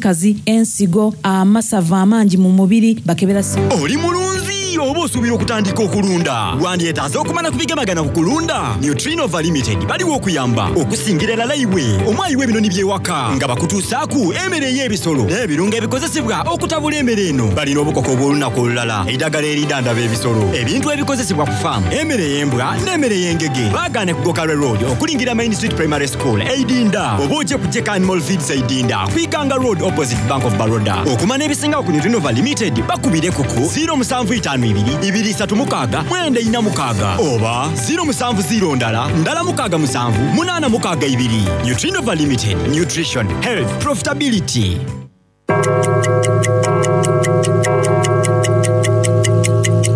Kazi, ensigo, amasavu amangi mu mubiri, bakebera. Oli mulunzi oba osuubira okutandika okulunda? Wandyetaaze okumanya ku bigemagana ku kulunda? Nutrinova Limited baliwo okuyamba okusingira irala iwe omwayi w'ebinoni by'ewaka nga bakutuusaaku emere ey'ebisolo n'ebirungo ebikozesebwa okutabula emere eno. Balina obukoko obw'olunaku olulala, eidagala eridhandhaba ebisolo, ebintu ebikozesebwa ku faamu, emere ey'embwa n'emere ey'engege. Baagaane ku Gokarwe Road okulingira Main Street Primary School e Idinda oba oje ku Jeka Animal Feeds e Idinda ku Iganga Road opposite Bank of Baroda. Okumanya ebisingawo ku Nutrinova Limited bakubireku ku 0752 236 946 oba 070 ndala ndala mukaaga musanvu munaana mukaaga ibiri. Nutrinova Limited, Nutrition, Health, Profitability.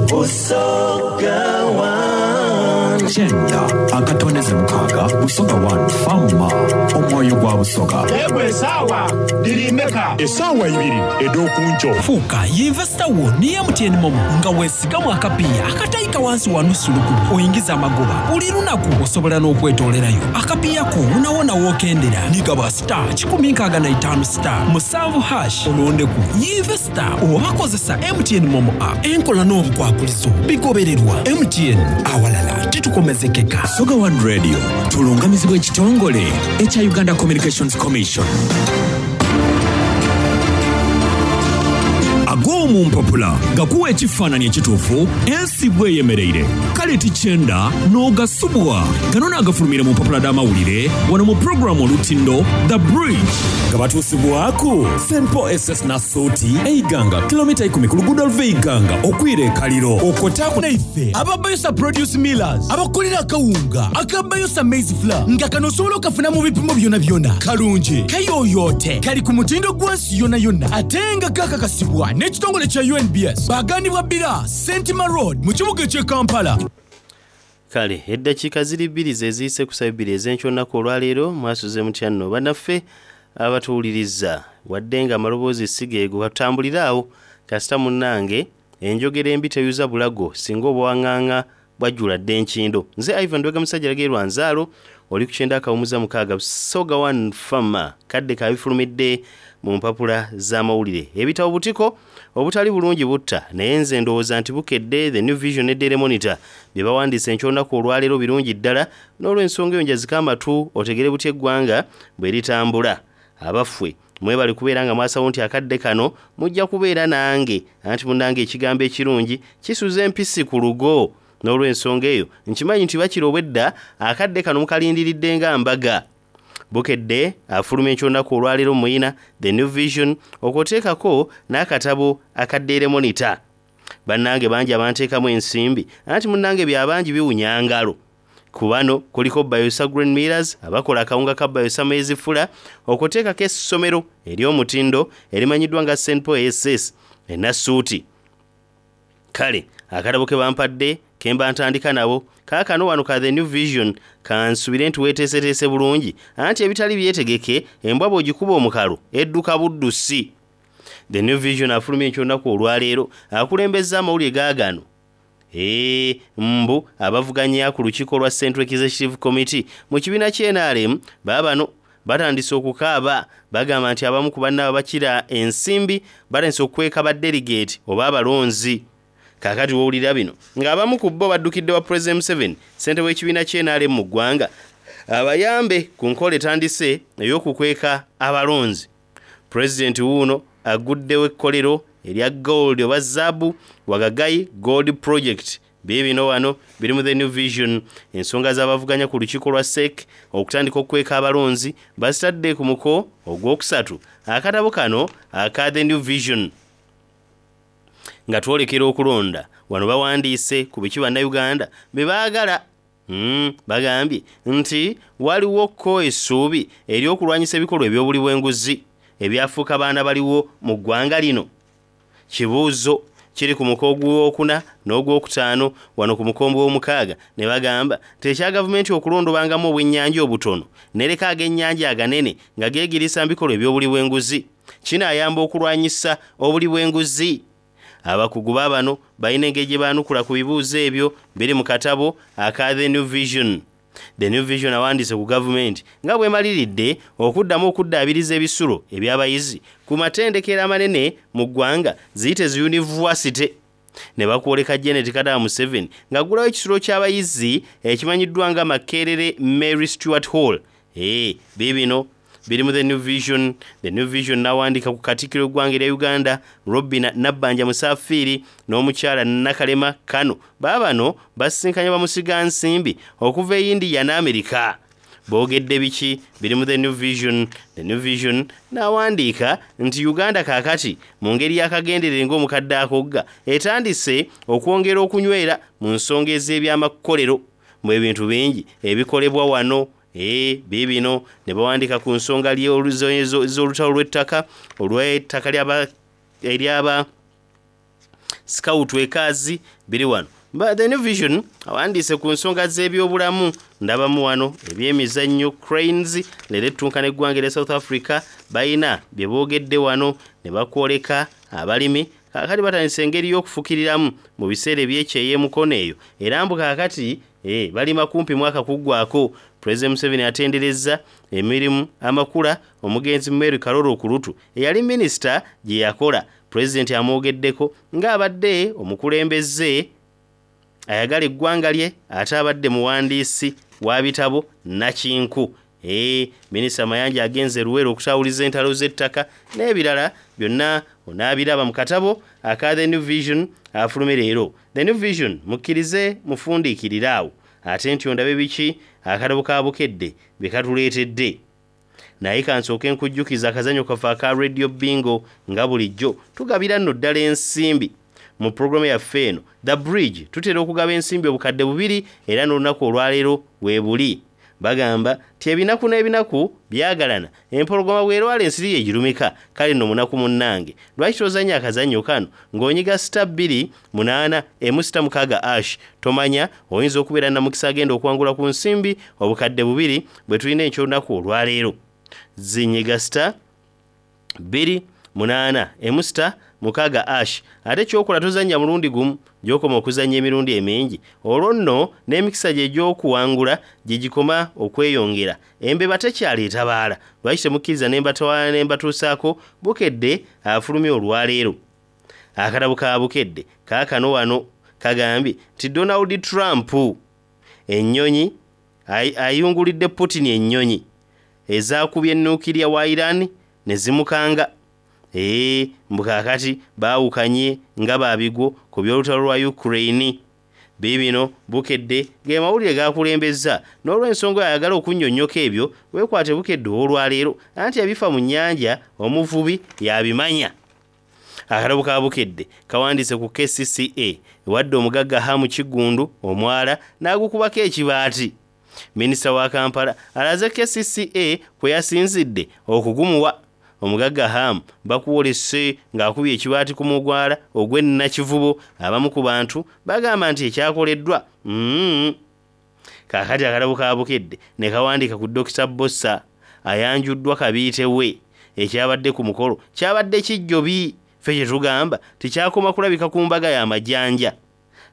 Busoga One. Kyenda akatondeze mukaaga Busoga One Farmer omwoyo gwa Busoga. Yegwe esaawa dhiri meka? Esaawa ibiri edh'okunkyo. Fuuka yinvesita wo ni MTN MoMo nga weesigamu akapiiya akataika wansi wa nusu lukumi oingize amagoba buli lunaku. Osobola n'okwetoolerayo akapiiya ko wonawona w'okendera ni gaba star 165 star musanvu hash olondeku yinvesita oba kozesa MTN MoMo app. Enkola n'obukwakulizo bigobererwa. MTN awalala titukomezekeka. Busoga One Radio tulungamizibwa ekitongole ekya Uganda Communications Commission. Ag'omu mpapula gakuwa ekifaananyi ekituufu ensi bw'eyemereire. Kale tikyenda n'ogasubwa. Gano naagafulumire mu mpapula dh'amawulire wano mu pulogulaamu Olutindo The Bridge. Nga batuusibwaku St Paul SS Nassuuti e Iganga, kilomita ikumi ku luguudo oluva e Iganga okwira e Kaliro. Okwo taaku. Naife aba Bayosa Produce Millers abakolera akawunga aka Bayosa Maize Flour nga kano osobola okafuna mu bipimo byonabyona, kalungi, kayoyote, kali ku mutindo gwansi yonayona ate nga kakakasibwa n'ekitongole kya UNBS. Baganibwa Bbira, Sentima Road mu kibuga eky'e Kampala. Kale eddakiika ziri bbiri ze ziyise ku ssaawa ebbiri ez'enkya olunaku olwaleero. Mwasuze mutya nno bannaffe abatuwuliriza? Wadde nga amaloboozi si geego, katutambulire awo kasita munnange enjogera embi teyuza bulago singa obwang'ang'a bwajjula dda enkindo. Nze Ivan Lubega Musajja Lagerwa Nzaalo, oli ku kyenda akawumuza mukaaga Busoga One Farmer. Kadde ka bifulumidde mu mpapula z'amawulire. Ebitabo butiko obutali bulungi butta, naye nze ndowooza nti Bukedde, The New Vision ne Daily Monitor bye bawandiise enkya olunaku olwaleero birungi ddala, n'olw'ensonga eyo njazika amatu otegere butya eggwanga bwe litambula. Abaffe mwebale kubeera nga mwasawo nti akadde kano mujja kubeera nange, anti munnange ekigambo ekirungi kisuza empisi ku lugo. N'olw'ensonga eyo nkimanyi nti bakira obwedda akadde kano mukalindiridde nga mbaga. Bukedde afulumya eky'olunaku olwaleero muyina The New Vision okwoteekako n'akatabo aka Daily Monitor. Bannange bangi abanteekamu ensimbi, anti munnange bya bangi biwunya ngalo. Ku bano kuliko Bayosa Green Millers abakola akawunga ka Bayosa Maize Flour, okwoteekako essomero ery'omutindo erimanyiddwa nga St Paul SS e Nassuuti. Kale akatabo ke bampadde ke mba ntandika nabo kaakano wano ka The New Vision, kansubire nti weeteeseteese bulungi, anti ebitali byetegeke embwa bw'ogikuba omukalu edduka buddusi. The New Vision afulumya enkya olunaku olwaleero akulembezza amawulire gaagano. Eeh, mbu abavuganya ku lukiiko lwa Central Executive Committee mu kibiina ki nrm baabano batandise okukaaba. Bagamba nti abamu ku bannaabwe abakira ensimbi batandise okukweka ba delegate oba abalonzi. Kaakati w'owulira bino ng'abamu ku bo baddukidde wa Pulezidenti Museveni, ssentebe w'ekibiina ki nrm mu ggwanga abayambe ku nkola etandise ey'okukweka abalonzi. Pulezidenti wuuno aguddewo ekkolero erya gold oba zaabu Wagagai Gold Project. Biibino wano biri mu The New Vision. Ensonga z'abavuganya ku lukiiko lwa SEC okutandika okukweka abalonzi bazitadde ku muko ogwokusatu akatabo kano aka The New Vision. Nga twolekera okulonda, wano bawandiise ku biki bannayuganda bye baagala. Bagambye nti waliwo ko essuubi ery'okulwanyisa ebikolwa eby'obuli bw'enguzi ebyafuuka baana baliwo mu ggwanga lino. Kibuuzo kiri ku muko ogwokuna n'ogwokutaano wano ku mukombe w'omukaaga ne bagamba nti ekya gavumenti okulondobangamu obwennyanja obutono nereka ag'ennyanja aganene nga geegiriisa mu bikolwa eby'obuli bw'enguzi kinaayamba okulwanyisa obuli bw'enguzi. Abakugu baabano balina engeri gye baanukula ku bibuuzo ebyo biri mu katabo aka The New Vision. The New Vision awandiise ku gavumenti nga bw'emaliridde okuddamu okuddaabiriza ebisulo eby'abayizi ku matendekero amanene mu ggwanga ziyite zi yunivasite. Ne bakwoleka Janet Kadaga Museveni ng'aggulawo ekisulo ky'abayizi ekimanyiddwa nga Makerere Mary Stuart Hall. Ee, biibino biri mu The New Vision. The New Vision n'awandiika ku Katikkiro w'eggwanga erya Uganda, Robina Nabbanja Musaafiiri n'omukyala Nakalema Kano. Baabano basisinkanye bamusigansimbi okuva e India ne Amerika. Boogedde biki? Biri mu The New Vision. The New Vision n'awandiika nti Uganda kaakati mu ngeri y'akagenderere ng'omukadde akogga etandise okwongera okunywera mu nsonga ez'ebyamakolero mu ebintu bingi ebikolebwa wano. Ee, biibino ne bawandiika ku nsonga z'olutalo lw'ettaka olw'ettaka eryaba Scout ekaazi biri wano. The New Vision awandiise ku nsonga z'ebyobulamu ndabamu wano ebyemizannyo Cranes leero ettunka n'eggwanga erya South Africa balina bye boogedde wano ne bakwoleka abalimi kaakati batandise engeri y'okufukiriramu mu biseera eby'ekyeya e Mukono eyo era mbu kaakati eh, balima kumpi mwaka kuggwako. Pulezidenti Museveni atenderezza emirimu amakula omugenzi Mary Karoro Okurutu eyali minisita gye yakola. Pulezidenti amwogeddeko ng'abadde omukulembeze ayagala eggwanga lye ate abadde muwandiisi wa bitabo nakinku. Ee, Minisita Mayanja agenze Luweero okutawuliza entalo z'ettaka n'ebirala byonna onaabiraba mu katabo aka The New Vision afulume leero. The New Vision mukkirize mufundiikirire awo ate nti ondabe biki akatabo ka Bukedde bye katuleetedde. Naye kansooke nkujjukize akazannyo kaffe aka Radio Bingo nga bulijjo tugabira nno ddala ensimbi mu pulogulaamu yaffe eno The Bridge. Tutera okugaba ensimbi obukadde bubiri era n'olunaku olwaleero weebuli. Bagamba nti ebinaku n'ebinaku byagalana, empologoma bw'erwala ensiri ye girumika. Kale nno munaku munnange, lwaki tozannya akazannyo kano ng'onyiga sita bbiri munaana emu sita mukaaga ash? Tomanya oyinza okubeera namukisa agenda okuwangula ku nsimbi obukadde bubiri bwe tulina enky'olunaku olwaleero. Zinyiga sita bbiri munaana emu sita mukaaga ash. Ate ky'okola tozannya mulundi gumu, gy'okoma okuzannya emirundi emingi, olwo nno n'emikisa gye egy'okuwangula gye gikoma okweyongera. Embeba tekyali etabaala, lwaki temukkiriza ne mbatwala ne mbatuusaako Bukedde afulumye olwaleero? Akatabo ka Bukedde kaakano wano kagambye nti Donald Trump ennyonyi ayungulidde Putin ennyonyi ezaakubye nukiriya wa Iran ne zimukanga. Ee, mbu kaakati baawukanye nga babigwo ku by'olutalo lwa Ukraine. Biibino Bukedde ge mawulire g'akulembezza. N'olw'ensonga oyo ayagala okunnyonnyoka ebyo, weekwate Bukedde ow'olwaleero anti ebifa mu nnyanja omuvubi y'abimanya. Akatabo ka Bukedde kawandiise ku KCCA ewadde omugagga Ham Kiggundu omwala n'agukubako ekibaati. Minisita wa Kampala alaze KCCA kwe yasinzidde okugumuwa. Omugagga Ham bakwolese ng'akubye ekibaati ku mugwala ogw'e Nakivubo. Abamu ku bantu bagamba nti ekyakoleddwa mm. Kaakati akatabo ka Bukedde ne kawandiika ku Dokita Bbosa ayanjuddwa kabiite we. Ekyabadde ku mukolo kyabadde kijjobi. Ffe kye tugamba tekyakoma kulabika ku mbaga ya Majanja.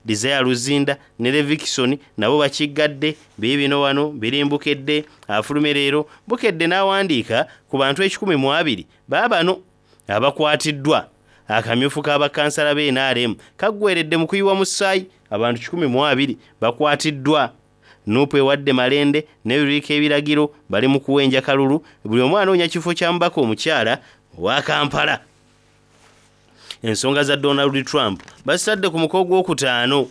Desire Luzinda ne Levixone nabo bakiggadde. Biibino wano biri Mbukedde afulume leero. Bukedde n'awandiika ku bantu ekikumi mu abiri baabano abakwatiddwa. Akamyufu ka bakansala ba NRM kaggweredde mu kuyiwa musaayi. Abantu kikumi mu abiri bakwatiddwa. Nuupu ewadde Malende ne Lulirika ebiragiro, bali mu kuwenja kalulu, buli omu anoonya kifo kya mubaka omukyala owa Kampala. Ensonga za Donald Trump bazitadde ku muko ogwokutaano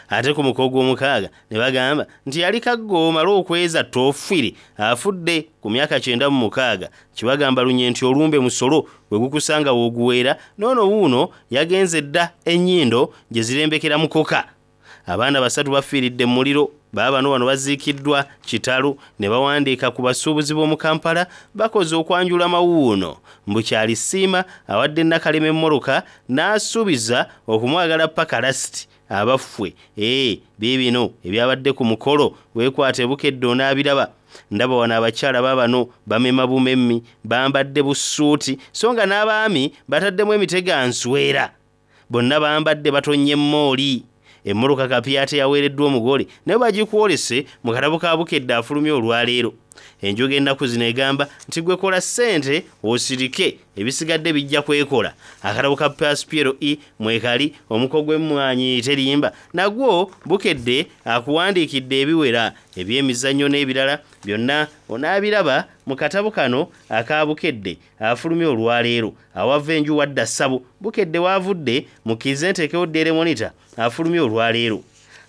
ate ku muko ogwomukaaga ne bagamba nti yali kaggo omale okweza toofiri afudde ku myaka 96. Kibagamba lunye nti olumbe musolo bwe gukusanga w'oguweera n'ono wuuno yagenze dda ennyindo gye zirembekera mukoka. Abaana basatu bafiiridde mu muliro. Baabano wano baziikiddwa kitalo ne bawandiika ku basuubuzi b'omu Kampala bakoze okwanjula mawuuno. Mbu Kyalisiima awadde Nakalema emmoloka n'asuubiza okumwagala paka lasiti abaffwe. Ee, biibino ebyabadde ku mukolo weekwate Bukedde onaabiraba. Ndaba wano abakyala baabano bamema bumemmi, bambadde busuuti so nga n'abaami bataddemu emiteganswera. Bonna bambadde batonnye mmooli. Emmotoka kapyata eyaweereddwa omugole nayo bagikwolese mu katabo ka Bukedde afulumye olwaleero. Enjoga ennaku zino egamba nti gwe kola ssente osirike ebisigadde bijja kwekola. Akatabo ka Pass PLE mwekali omuko gw'emmwanyi terimba nagwo Bukedde akuwandiikidde ebiwera eby'emizannyo n'ebirala byonna onaabiraba mu katabo kano aka Bukedde afulumye olwaleero. Awava enju wadda ssabo Bukedde waavudde mukkirize nteekewo Daily Monitor afulumye olwaleero.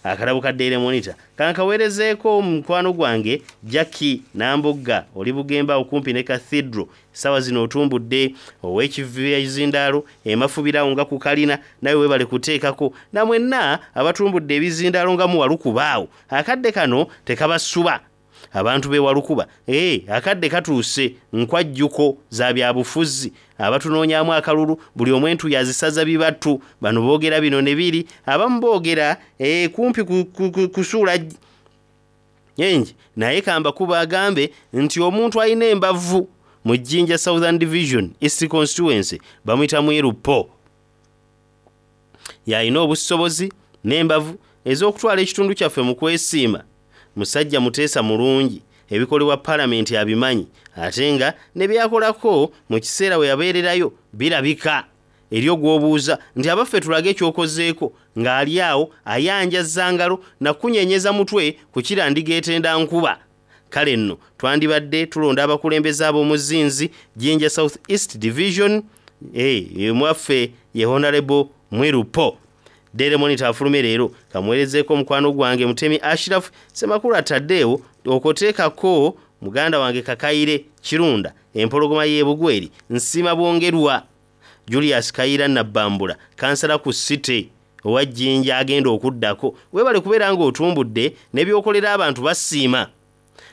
Akatabo ka Daily Monitor kankaweerezeeko mukwano gwange Jackie Nambogga oli Bugembe awo kumpi ne Cathedral. Essaawa zino otumbudde ow'ekizindaalo emafubira awo nga ku kalina nawe weebale kuteekako na mwenna abatumbudde ebizindaalo nga muwalukuba awo. Akadde kano tekabasuba. Abantu b'e Walukuba, akadde katuuse nkwajjuko za byabufuzi abatunoonyaamu akalulu buli omu entuyo azisaza bibatu. Bano boogera bino ne biri, abamu boogera kumpi kusuula engi naye kambakuba agambe nti omuntu alina embavu mu Jinja Southern Division East Constituency bamuyita Mwiru Paul. Yalina obusobozi n'embavu ez'okutwala ekitundu kyaffe mu kwesiima. Musajja muteesa mulungi, ebikolebwa palamenti abimanyi ate nga ne byakolako mu kiseera we yabeererayo birabika. Eri ogw'obuuza nti abaffe tulage ky'okozeeko ng'ali awo ayanjaza ngalo na kunyenyeza mutwe ku kirandiga etenda nkuba. Kale nno twandibadde tulonda abakulembeze ab'omuzinzi Jinja South East Division, mwaffe ye Honorable Mwiru Paul. Daily Monitor afulume leero kamuweerezeeko mukwano gwange Mutemi Ashraf Ssemakula ataddeewo okoteekako muganda wange Kakaire Kirunda empologoma y'e Bugweri Nsiima Bwongerwa Julius Kayira Nabbambula kansala ku City owa Jinja agenda okuddako. Weebale kubeera ng'otumbudde n'ebyokolera abantu basiima.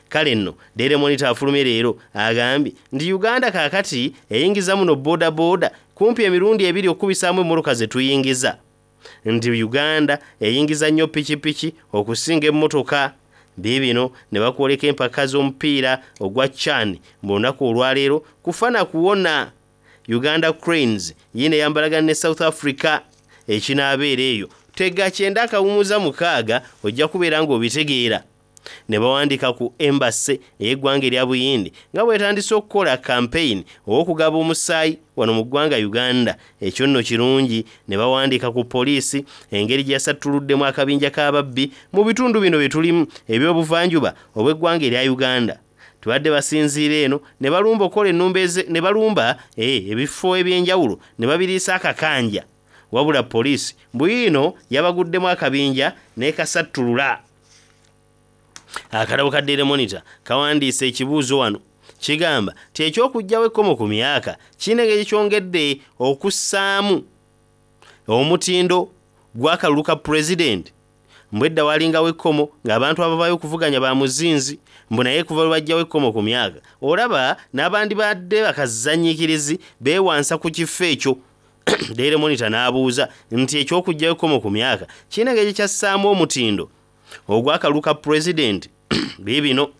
Kale nno Daily Monitor afulumye leero agambye nti Uganda kaakati eyingiza muno boodabooda kumpi emirundi ebiri okukubisaamu emmotoka ze tuyingiza. Nti Uganda eyingiza nnyo pikipiki okusinga emmotoka. Biibino ne bakwoleka empaka z'omupiira ogwa CHAN mu lunaku olwaleero kufa na kuwona. Uganda Cranes yiino eyambalagana ne South Africa ekinaabeera eyo. Tega kyenda akawumuza mukaaga ojja kubeera ng'obitegeera. Ne bawandiika ku embassy ey'eggwanga erya Buyindi nga bw'etandise okukola campaign ow'okugaba omusaayi wano mu ggwanga Uganda. Ekyo nno kirungi. Ne bawandiika ku poliisi engeri gye yasattuluddemu akabinja k'ababbi mu bitundu bino bye tulimu eby'obuvanjuba obw'eggwanga erya Uganda. Tubadde basinziira eno ne balumba okukola ennumba eze, ne balumba ebifo eby'enjawulo ne babiriisa akakanja. Wabula poliisi bwino yabaguddemu akabinja n'ekasattulula. Akatabo ka Daily Monitor kawandiise ekibuuzo wano kigamba nti ekyokuggyawo ekkomo ku myaka kirina engeri kyongedde okussaamu omutindo gw'akalulu ka pulezidenti. Mbu edda walingawo ekkomo ng'abantu abavaayo okuvuganya ba muzinzi, mbu naye kuva lwe baggyawo ekkomo ku myaka olaba n'abandibadde bakazannyiikirizi beewansa ku kifo ekyo. Daily Monitor n'abuuza nti ekyokuggyawo ekkomo ku myaka kirina engeri kyassaamu omutindo ogw'akalulu ka pulezidenti. Biibino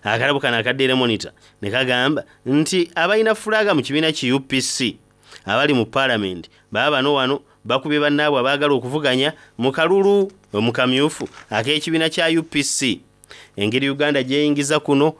akalabo kano aka Daily Monitor ne kagamba nti abalina fulaaga mu kibiina ki UPC abali mu paalamenti baba bano wano bakubye bannaabwe abaagala okuvuganya mu kalulu mu kamyufu ak'ekibiina kya UPC. Engeri Uganda gy'eyingiza kuno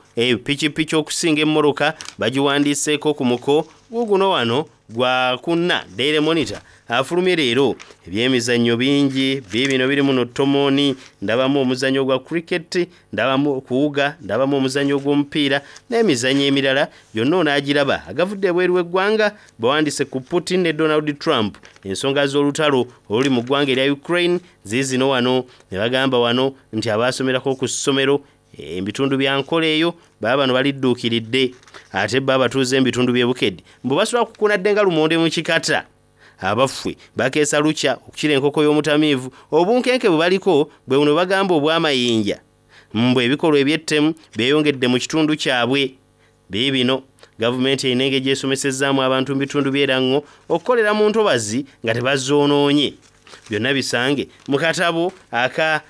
pikipiki okusinga emmotoka bagiwandiiseeko ku muko guguno wano gwa kunna. Daily Monitor afulumye leero ebyemizannyo bingi biibino biri muno tomooni, ndabamu omuzannyo gwa cricket, ndabamu okuwuga, ndabamu omuzannyo gw'omupiira n'emizannyo emirala gyonna onaagiraba. Agavudde ebweru w'eggwanga bawandiise ku Putin ne Donald Trump ensonga z'olutalo oluli mu ggwanga erya Ukraine ziizino wano ne bagamba wano nti abaasomerako ku ssomero ebitundu bya nkola eyo baba bano balidduukiridde ate bo abatuuze ebitundu by'e Bukedde mbu basobola kukunadde nga lumonde mu kikata. Abaffe bakeesa lukya okukira enkoko y'omutamiivu obunkenke bwe baliko bwe buno bagamba obw'amayinja mbu ebikolwa eby'ettemu byeyongedde mu kitundu kyabwe. Biibino gavumenti erina engeri gy'esomesezzaamu abantu mu bitundu by'Erango okukolera mu ntobazi nga tebazoonoonye. Byonna bisange mu katabo aka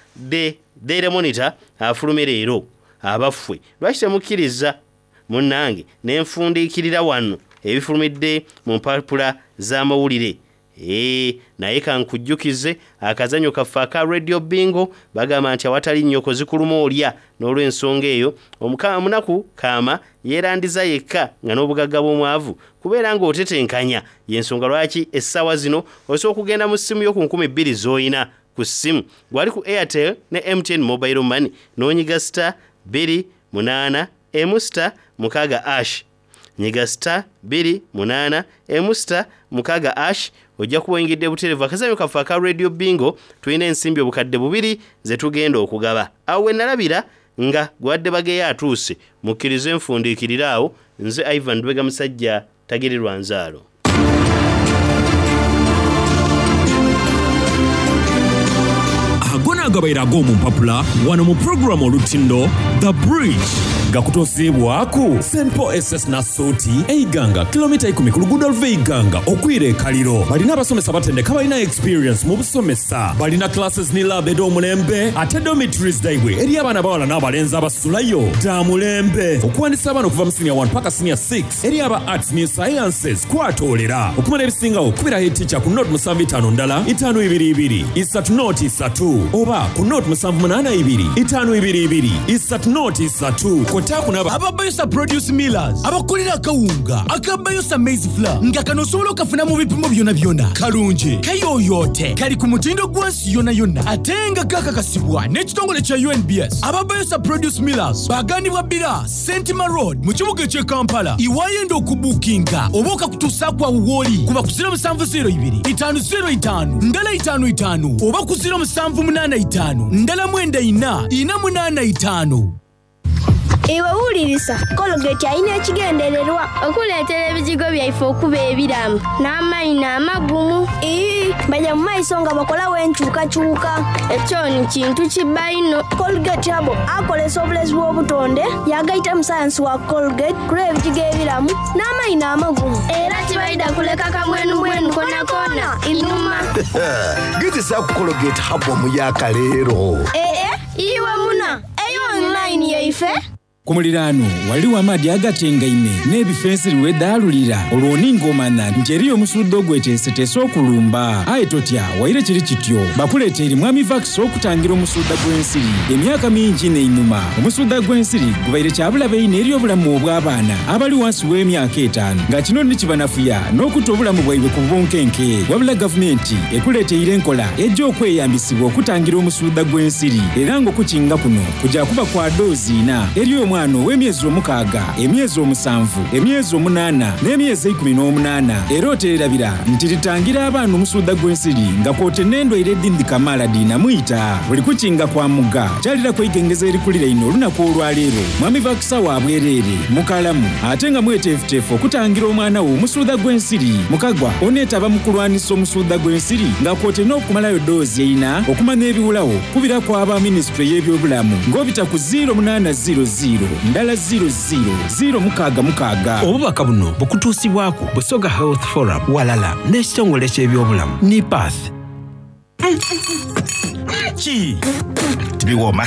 Daily Monitor afulume leero. Abaffe lwaki temukkiriza munnange ne nfundiikirira wano ebifulumidde mu mpapula z'amawulire. Eeh naye kankujjukize akazanyo kaffe aka Radio Bingo bagamba nti awatali nnyoko zikuluma olya n'olwensonga eyo omunaku kaama yeerandiza yekka nga n'obugagga bw'omwavu kubeera ng'otetenkanya y'ensonga lwaki essaawa zino osobola okugenda mu ssimu yo ku 2000 z'olina ku ssimu gwali ku Airtel ne MTN Mobile Money n'onyiga star 2 8 emu star 6 ash Nyiga star 2 8 emu star 6 ash ojja kuba oyingidde butereevu akazannyo kaffe aka Radio Bingo. Tulina ensimbi 2000 ze tugenda okugaba. Awo we nalabira nga gwadde bageyo atuuse. Mukkirize nfundiikirire awo. Nze Ivan Lubega Musajja tagirirwa nzaalo. Ago naagabaire ag'omu mpapula wano mu pulogulaamu Olutindo The Bridge gakutuusiibwaku St Paul SS Nassuuti e Iganga, kilomita ikumi ku luguudo oluva e Iganga okwira e Kaliro. Balina abasomesa abatendeke abalina experience mu busomesa. Balina classes ni lab edh'omulembe ate dormitories dhaibwe eri abaana abawala n'abalenzi abasulayo dha mulembe. Okuwandisa abaana okuva mu senior 1 paka senior 6 eri aba Arts ni Sciences kwatoolera. Okumanya ebisingagho kubira head teacher ku nought musanvu itaanu ndala itaanu ibiri ibiri isatu nought isatu oba ku nought musanvu munaana ibiri itaanu ibiri ibiri isatu nought isatu kwotaaku n'aba Aba Bayosa Produce Millers abakolera akawunga aka Bayosa Maize Flour nga kano osobola okafuna mu bipimo byonabyona. Kalungi, kayoyoote, kali ku mutindo gwa nsi yonayona ate nga kakakasibwa n'ekitongole kya UNBS. Aba Bayosa Produce Millers bagandibwa Bbira Sentima Road mu kibuga eky'e Kampala. Iwayenda okubuukinga oba okakutuusaaku awo w'oli kuba ku 0702 505 ndala 55 oba ku 0785 ndala 94 485. Iwe wulirisa, Colgate alina ekigendererwa okuleetera ebijigo byaife okuba ebiramu n'amaino amagumu. Ii, baja mu maiso nga bakolawo enkyukakyuka. Ekyo ni kintu kiba inho. Colgate Herbal akolesa obulezi bw'obutonde yagaitamu sayansi wa Colgate kulwa ebijigo ebiramu n'amaino amagumu. Era tibaidha kuleka kamwenumwenu konakona inhuma. Gezesaaku Colgate Herbal omuyaaka leero. Ee, iwe muna, eyo online yaife. Ku muliraano ghaligho amaadhi agatengaime n'ebifo ensiri we dhaalulira, olwo ni ng'omanha nti eriyo omusuudha ogweteeseteese okulumba. Aye totya, waire kiri kityo, bakuleeteire Mwami Vax okutangira omusuudha gw'ensiri. Emyaka mingi inho einhuma, omusuudha gw'ensiri gubaire kya bulabe inho eri obulamu obw'abaana abali wansi w'emyaka etaanu nga kino ni kibanafuya n'okuta obulamu bwaibwe ku bunkenke. Wabula gavumenti ekuleeteire enkola eja okweyambisibwa okutangira omusuudha gw'ensiri era ng'okukinga kuno kuja kuba kwa doozi ina eri omwana ow'emyezi omukaaga, emyezi omusanvu, emyezi omunaana n'emyezi eikumi n'omunaana. Era oteerabira nti litangira abaana omusuudha gw'ensiri nga kwote n'endwaire edhindi kamaala dhiinamwita. Buli kukinga kwa mugga kyaliraku eigengeza erikuliraine olunaku olwaleero. Mwami Vakusawo wa bwereere, mukalamu ate nga mweteefuteefu okutangira omwana wo omusuudha gw'ensiri. Mukagwa oneetaba mu kulwanisa omusuudha gw'ensiri nga kwote n'okumalayo doozi eina okumanya ebiwulagho. Kubiraku aba minisitule y'ebyobulamu ng'obita ku ziiro munaana ziiro ziiro ndala ziiro ziiro ziiro mukaaga mukaaga. Obubaka buno bukutuusibwaku Busoga Health Forum walala n'ekitongole ky'ebyobulamu NIPATH. Ki? Tibiwooma.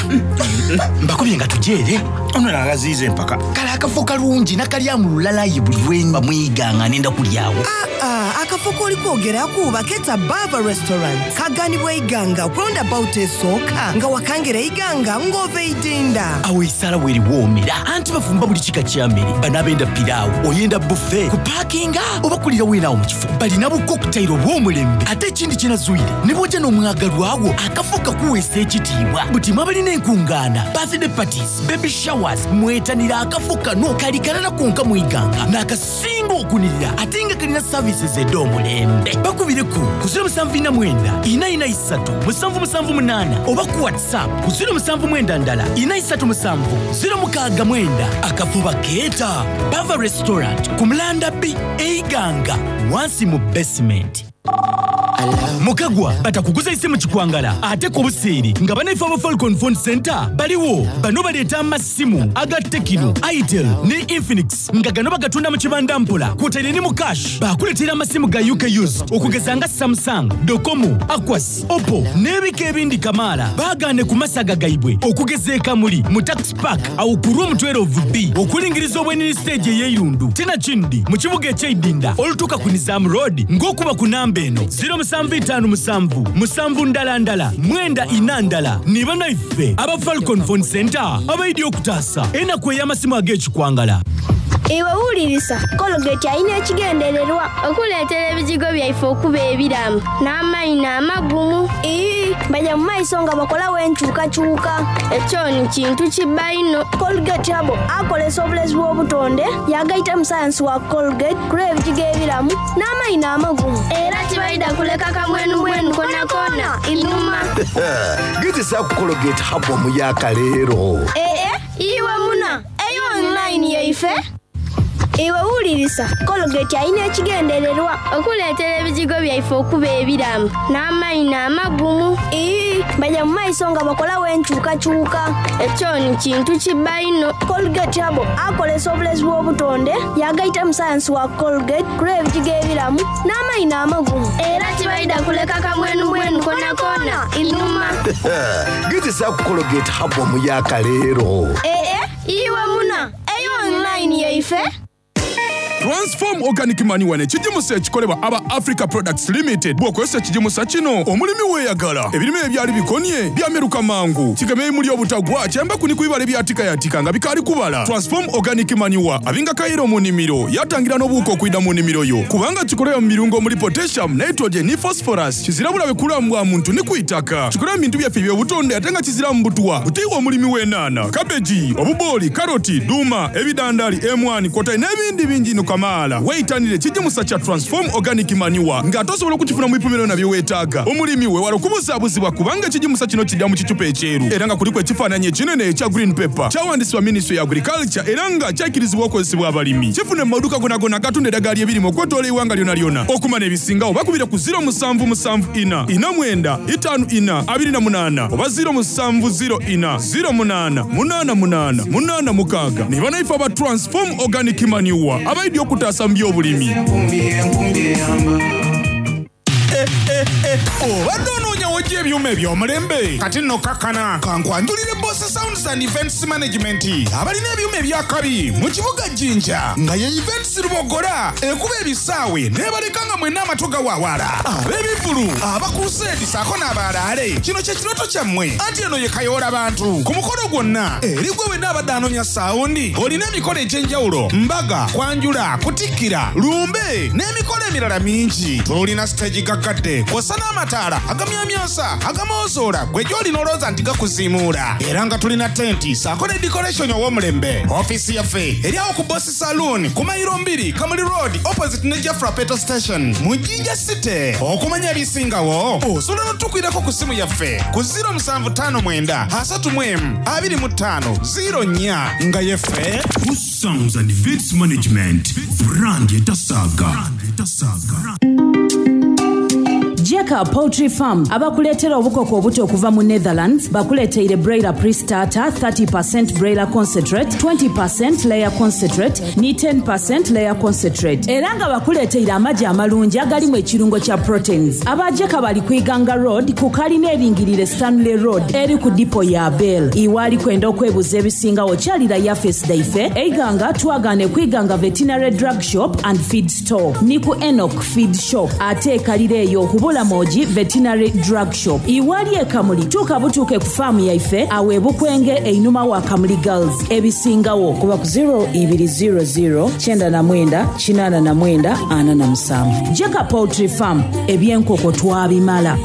Mbakubye nga tujeere. Ono nagaziiza empaka. Kale akafo kalungi nakalyamu lulala aye buli lwemba mwiga nga nenda kulyawo. Aa, akafo k'oli kwogeraku baketa Bava Restaurant. Kaganibwa Iganga ku roundabout esooka nga wakangera Iganga ng'ova Idinda. Awo esaala weeriwoomera anti bafumba buli kika kya mmere. Bano abenda piraawo, oyenda buffet, kupaakinga oba kulira weena awo mu kifo. Balina bu cocktail obw'omulembe ate ekindi kye nazuire ne bw'ojja n'omwagalwa wo akafo kakuweesa ekitiibwa. Buti mwe abalina enkungaana, birthday parties, baby showers mwetanira akafo kano kali kalala konka mu Iganga n'akasinga okunirira ate nga kalina services ed'omulembe. Bakubireku ku 079 443 778 oba ku WhatsApp ku 079 437 069. Akafo bakeeta Bava Restaurant ku Mulanda B e Iganga wansi mu basement. Mukagwa batakuguza isimu kikwangala ate ku buseere nga banaife aba Falcon Phone Center baliwo. Bano baleeta amasimu aga Tecno, Itel ne Infinix nga gano bagatunda mu kibanda mpola kwotaire ni mu cash. Bakuleetera amasimu ga UK used okugeza nga Samsung, Docomo, Aquas, Oppo n'ebika ebindi kamaala. Baagaane ku masaga gaibwe okugeza e Kamuli mu Tax Park awo ku room 12B okulingiriza obwenini siteegi ey'eirundu tinakindi mu kibuga eky'eidinda olutuuka ku Nizam Road ng'okuba ku namba eno 0757 7 ndala ndala 94 ndala. Ni banaife aba Falcon Phone Center abaidye okutaasa enaku ey'amasimu ag'ekikwangala. Iwe wulirisa, Colgate alina ekigendererwa okuleetera ebijigo byaife okuba ebiramu n'amaino amagumu. Ii, Baja mu maiso nga bakolawo enkyukakyuka. Ekyo ni kintu kibba inho. Colgate Herbal akolesa obulezi bw'obutonde yaagaitamu sayansi wa Colgate ku lw'ebijigo ebiramu n'amaino amagumu. Era tibaidha kuleka kamwenumwenu konakona inhuma. Gezesaaku Colgate Herbal omuyaaka leero. Ee, iwe muna, eyo online yaife. Iwe wulirisa, Colgate alina ekigendererwa okuleetera ebijigo byaife okuba ebiramu n'amaino amagumu. Ii, Baja mu maiso nga bakolawo enkyukakyuka. Ekyo ni kintu kibba inho. Colgate Herbal akolesa obulezi bw'obutonde yaagaitamu sayansi wa Colgate ku lw'ebijigo ebiramu n'amaino amagumu. Era tibaidha kuleka kamwenumwenu konakona inhuma. Gezesaaku Colgate Herbal omuyaaka leero. Ee, iwe muna, eyo online yaife. Transform Organic Manure n'ekigimusa ekikolebwa aba Africa Products Limited. Bw'okozesa ekigimusa kino, omulimi weeyagala. Ebirime ebyali bikonye byameruka mangu. Kigemya ebimuli obutagwa, kyayambaku ni ku bibala ebyatikayatika nga bikaali kubala. Transform Organic Manure abinga kayira mu nimiro, yaatangira n'obuwuka okwidha mu nimiro yo. Kubanga kikolebwa mu birungo omuli potassium, nitrogen ni phosphorus, kizira bulabe ku bulamu bwa muntu ni ku itaka. Kikolebwa mu bintu byaffe eby'obutonde ate nga kiziramu butwa. Buti iwe omulimi w'enhaanha, kabeji, obubooli, karoti, duuma, ebidhandhali, emwani kwotaire n'ebindi bingi inho kamaala, weitanire ekigimusa kya Transform Organic Manure nga ate osobola okukifuna mu bipimo byona bye weetaaga. Omulimi weewale okubuzaabuzibwa kubanga ekigimusa kino kidha mu kicupa ekyeru era nga kuliku ekifaananyi ekinene ekya green pepper. Kyawandisibwa Minisitule ya Agriculture era nga kyaikirizibwa okozesebwa abalimi. Kifune mu maduuka gonagona agatunda eddagala ly'ebirime okwetoola eighanga lyonalyona. Okumanya ebisingagho bakubire ku ziro musanvu musanvu ina, ina mwenda, itaanu ina, 28 oba ziro musanvu ziro ina, ziro munaana, munaana munaana, munaana mukaaga. Ni banaife aba Transform Organic Manure abaidye okutaasa mu by'obulimi. Obadde onoonya w'oggya ebyuma eby'omulembe? Kati nno kakkana kankwanjulire Boss Sounds and Events Management abalina ebyuma eby'akabi mu kibuga Jinja nga ye Events Luboggola ekuba ebisaawe n'ebaleka nga mwenna amatu gawawaala. Ab'ebivvulu, aba Crusade ssaako n'abaalaale kino kye kirooto kyammwe anti eno ye Kayoola Bantu ku mukolo gwonna eri gwe wenna abadde anoonya saawundi olina emikolo egy'enjawulo, mbaga, kwanjula, kutikkira, lumbe n'emikolo emirala mingi. Tulina siteegi gaggadde kw'ossa n'amataala agamyamyansa, agamoozoora ggwe gy'oli n'olowooza nti gakuziimuula era nga tulina tenti ssaako ne dikoleshoni ow'omulembe. Ofiisi yaffe eri awo ku Boss Saloon ku mayiro mbiri Kamuli Road opposite ne Jafra Petrol Station mu Jinja City. Okumanya ebisingawo osobola n'otukwirako ku ssimu yaffe ku 0759 31 25 04 nga yeffe Sounds and Events Management, brand etasaaga. Jeka Poultry Farm abakuleetera obukoko obuto okuva mu Netherlands bakuleeteire Broiler Pre-Starter, 30% Broiler Concentrate, 20% Layer Concentrate ni 10% Layer Concentrate era nga bakuleeteire amagi amalungi agalimu ekirungo kya proteins. Aba Jeka bali ku Iganga Road ku kalina eringirire Stanley Road eri ku dipo ya Bell. Iwe ali kwenda okwebuza ebisingagho kyalira yafeesi dhaife e Iganga twagaane ku Iganga Veterinary Drug Shop and Feed Store ni ku Enock Feed Shop ate e Kaliro eyo ku Bulamogi Veterinary Drug Shop. Iwe ali e Kamuli tuuka butuuke ku faamu yaife agho e Bukwenge einhuma wa Kamuli Girls. Ebisingagho kuba ku ziro ibiri ziro ziro 99 89 47. Jeka Poultry Farm, eby'enkoko twabimala.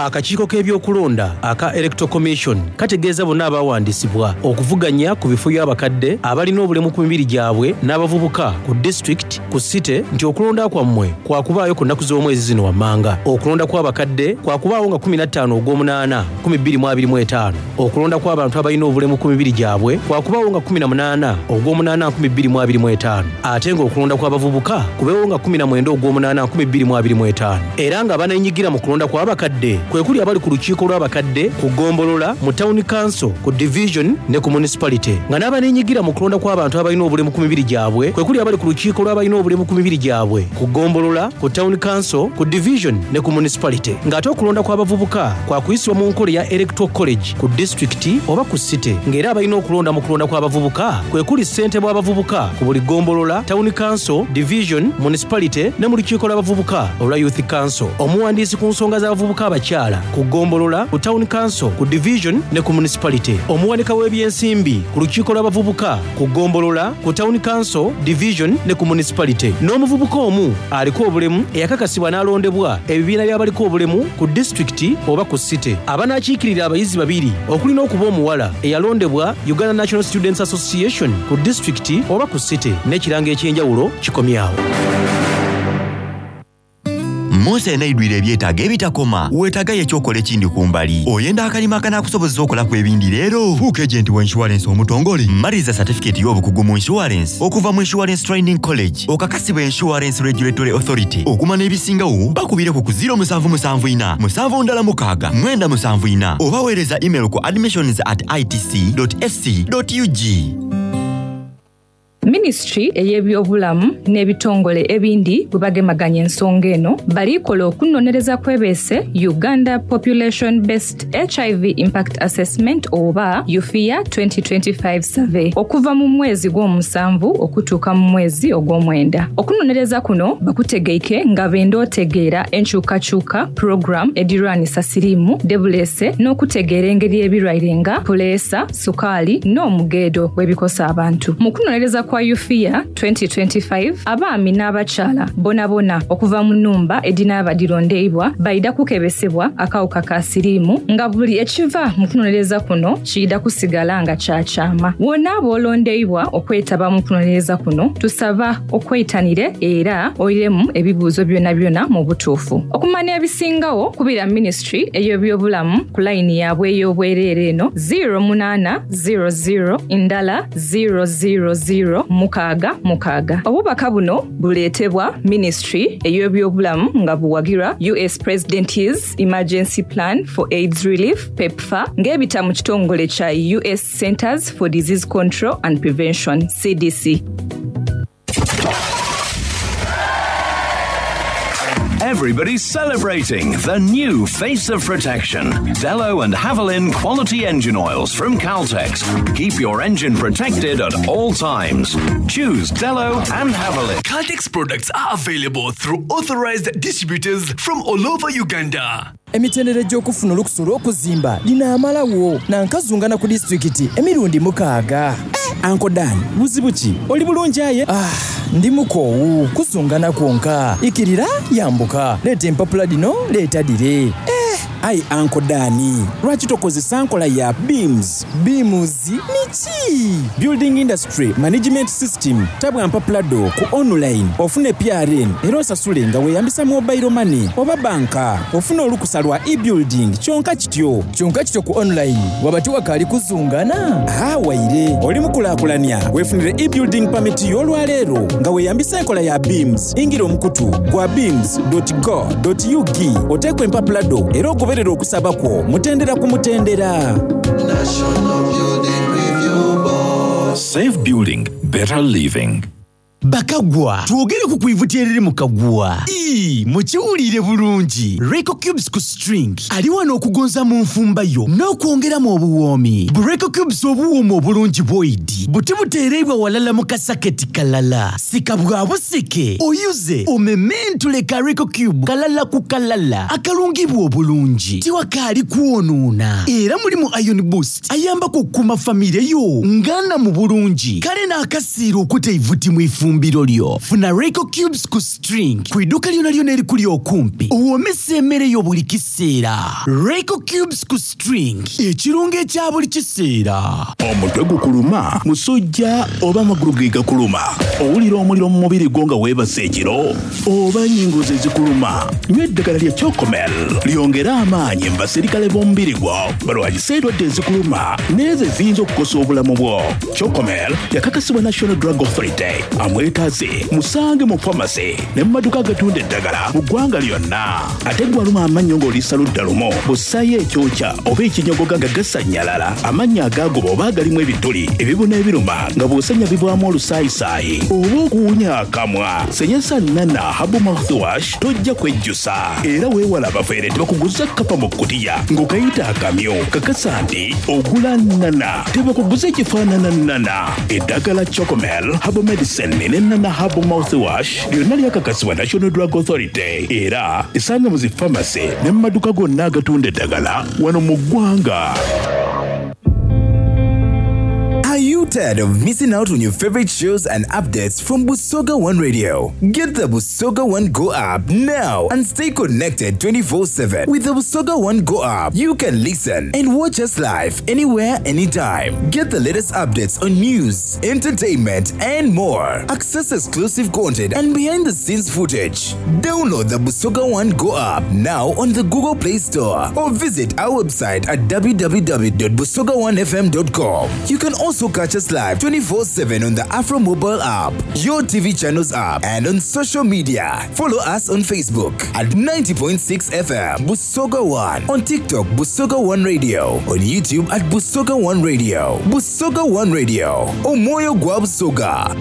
Akakiiko k'ebyokulonda aka Electoral Commission kategeeza bonna abawandiisibwa okuvuganya ku bifo by'abakadde, abalina obulemu ku mibiri gyabwe n'abavubuka ku disitulikiti, ku site nti okulonda kwammwe kwakubaayo ku nnaku z'omwezi zino wammanga. Okulonda kw'abakadde kwakubaawo nga 15 Ogwomunaana 2025. Okulonda kw'abantu abalina obulemu ku mibiri gyabwe kwakubaawo nga 18 Ogwomunaana 2025 ate nga okulonda kw'abavubuka kubeewo nga 19 Ogwomunaana 2025 era nga abanenyigira mu kulonda kw'abakadde kwekuli abali ku lukiiko lw'abakadde ku ggombolola, mu Town Council, ku Division ne ku Municipality nga n'abanenyigira mu kulonda kw'abantu abalina obulemu ku mibiri gyabwe kwekuli abali ku lukiiko lw'abalina obulemu ku mibiri gyabwe ku ggombolola, ku Town Council, ku Division ne ku Municipality nga ate okulonda kw'abavubuka kwakuyisibwa mu nkola eya Electoral College ku disitulikiti oba ku site nga era abalina okulonda mu kulonda kw'abavubuka kwekuli ssentebe w'abavubuka ku buli ggombolola, Town Council, Division, Municipality ne mu lukiiko lw'abavubuka olwa Youth Council, omuwandiisi ku nsonga z'abavubuka abakyala ku ggombolola, ku Town Council, ku Division ne ku Municipality, omuwanika w'ebyensimbi ku lukiiko lw'abavubuka ku ggombolola, ku Town Council, Division ne ku Municipality n'omuvubuka omu aliko obulemu eyakakasibwa n'alondebwa ebibiina by'abaliko obulemu ku disitulikiti oba ku site. Abanaakiikirira abayizi babiri okuli n'okuba omuwala eyalondebwa Uganda National Students Association ku disitulikiti oba ku site n'ekirango eky'enjawulo kikomye awo. Munsi eno eidwire ebyetaago ebitakoma, weetaagayo eky'okola ekindi ku mbali. Oyenda akalimo akanaakusobozesa okolaku ebindi leero? Fuuka ejenti wa inshuwalensi omutongole. Maliriza satifikeeti y'obukugu mu inshuwalensi okuva mu Insurance Training College okakasibwa Insurance Regulatory Authority. Okumanya ebisingawo bakubireku ku 0774 76 974 oba weereza email ku admissions at itc.ac.ug. Minisitule ey'ebyobulamu n'ebitongole ebindi bwe bagemaganya ensonga eno, balikola okunonereza kwebeese Uganda Population Based HIV Impact Assessment oba UFIA 2025 Survey okuva mu mwezi gw'omusanvu okutuuka mu mwezi ogw'omwenda. Okunonereza kuno bakutegeike nga benda otegeera enkyukakyuka program edirwanisa siriimu debuleese n'okutegeera engeri ebirwaire nga puleesa, sukaali n'omugeedo bwebikosa abantu. Mu kunonereza kwa UFIA 2025, abaami n'abakyala bonabona okuva mu nnumba edinaaba dirondeibwa baida kukebesebwa akawuka ka siriimu nga buli ekiva mu kunonereza kuno kiida kusigala nga kya kyama. Wona bw'olondeibwa okwetaba mu kunonereza kuno, tusaba okweitanire era oiremu ebibuuzo byonabyona mu butuufu. Okumanya ebisingawo, kubira Minisitule ey'ebyobulamu ku layini yaabwe ey'obwereere eno 0 8 0 0 ndala 0 0 0 mukaaga mukaaga. Obubaka buno buleetebwa Minisitule ey'ebyobulamu nga buwagirwa US President's Emergency Plan for AIDS Relief, PEPFAR, ng'ebita mu kitongole kya US Centers for Disease Control and Prevention, CDC. Everybody's celebrating the new face of protection. Delo and Havolin quality engine oils from Caltex. Keep your engine protected at all times. Choose Delo and Havolin. Caltex products are available through authorized distributors from all over Uganda. Emitendera egy'okufuna olukusa olw'okuzimba ginaamalagho na nkazungana ku disitulikiti emirundi mukaaga. Anko Dan, buzibu ki? Oli bulungi aye? Ah, ndi mukoowu. Kuzungana kwonka. Ikirira, yambuka. Leeta empapula dhino, leeta dhire. Eh! Aye Anko Dan, lwaki tokozesa nkola ya BIMS? BIMS niki? Building Industry Management System. Tabwa mpapula dho ku online ofune PRN era osasule nga weeyambisa mobile money oba banka. Ofune olukusa lwa e-building kyonka kityo. Kyonka kityo ku online waba tiwakaali kuzungana? Haa waire. Oli mukulaakulania weefunire e-building permit yo olwaleero nga weeyambisa enkola ya BIMS. Ingira omukutu gwa bims.go.ug oteeku empapula dho era ogoberere okusaba kwo mutendera ku mutendera. National Building Review Board. Safe building, better living. Bakagwa, twogereku ku ivuti eriri mu kaguwa. Ii, mukiwuliire bulungi. Reco Cubes ku string ali wano okugonza mu nfumba yo n'okwongeramu obuwoomi. Bu Reco Cubes obuwooma obulungi bwoidi. Buti buti buteereibwa walala mu kasaketi kalala. Sika bwa busike, oyuze, omementule ka Royco Cube kalala ku kalala akalungibwa obulungi. Tiwakaali kwonoona era mulimu Iron Boost ayambaku okukuuma famire yo nga nnamu bulungi. Kale n'akasiira okuta eivuti mu ifumbiro lyo. Funa Royco Cubes ku string ku iduuka lyonalyona erikuli okumpi owoomese emere yo buli kiseera. Royco Cubes ku string, ekirungo ekya buli kiseera. Omutwe gukuluma, musujja oba amagulu ge gakuluma? Owulira omuliro mu mubiri gwo nga weebase ekiro oba ennyingo ze zikuluma? Nywa eddagala lya Chocomel lyongere amaanyi mu baserikale b'omubiri gwo balwanyise endwadde ezikuluma n'ezo eziyinza okukosa obulamu bwo. Chocomel yakakasibwa National Drug Authority. Amwetaaze musange mu famasi ne mu maduuka agatunda eddagala mu ggwanga lyonna. Ate gwe aluma amannyo ng'oliisa ludda lumu, bw'ossaayo ekyokya oba ekinyogoga nga gasannyalala, amannyo agaagoba oba agalimu ebituli, ebibuna ebiruma nga bw'osenya bivaamu olusaayisaayi oba okuwunya akamwa, senyesa Nana Herbal Mouthwash tojja kwejjusa. Era weewale abafere tebakuguza kkapa mu kkutiya ng'okayita akamyu. Kakasa nti ogula Nana, tebakuguza ekifaanana Nana. Eddagala Chocomel Herbal Medicine ne Nana Herbal Mouthwash lyonna lyakakasibwa National Drug Authority era esanga mu zi pharmacy ne mu maduka gonna agatunda eddagala wano mu ggwanga. Are you tired of missing out on your favorite shows and updates from Busoga One Radio? Get the Busoga One Go app now and stay connected 24 7. With the Busoga One Go app, you can listen and watch us live anywhere, anytime. Get the latest updates on news, entertainment, and more. Access exclusive content and behind the scenes footage. Download the Busoga One Go app now on the Google Play Store or visit our website at www.busoga1fm.com. You can also catch us live 24 7 on the Afro Mobile app, your TV channels app, and on social media. Follow us on Facebook at 90.6 FM Busoga One, on TikTok Busoga One Radio, on YouTube at Busoga One Radio, Busoga One Radio, Omoyo Gwa Busoga.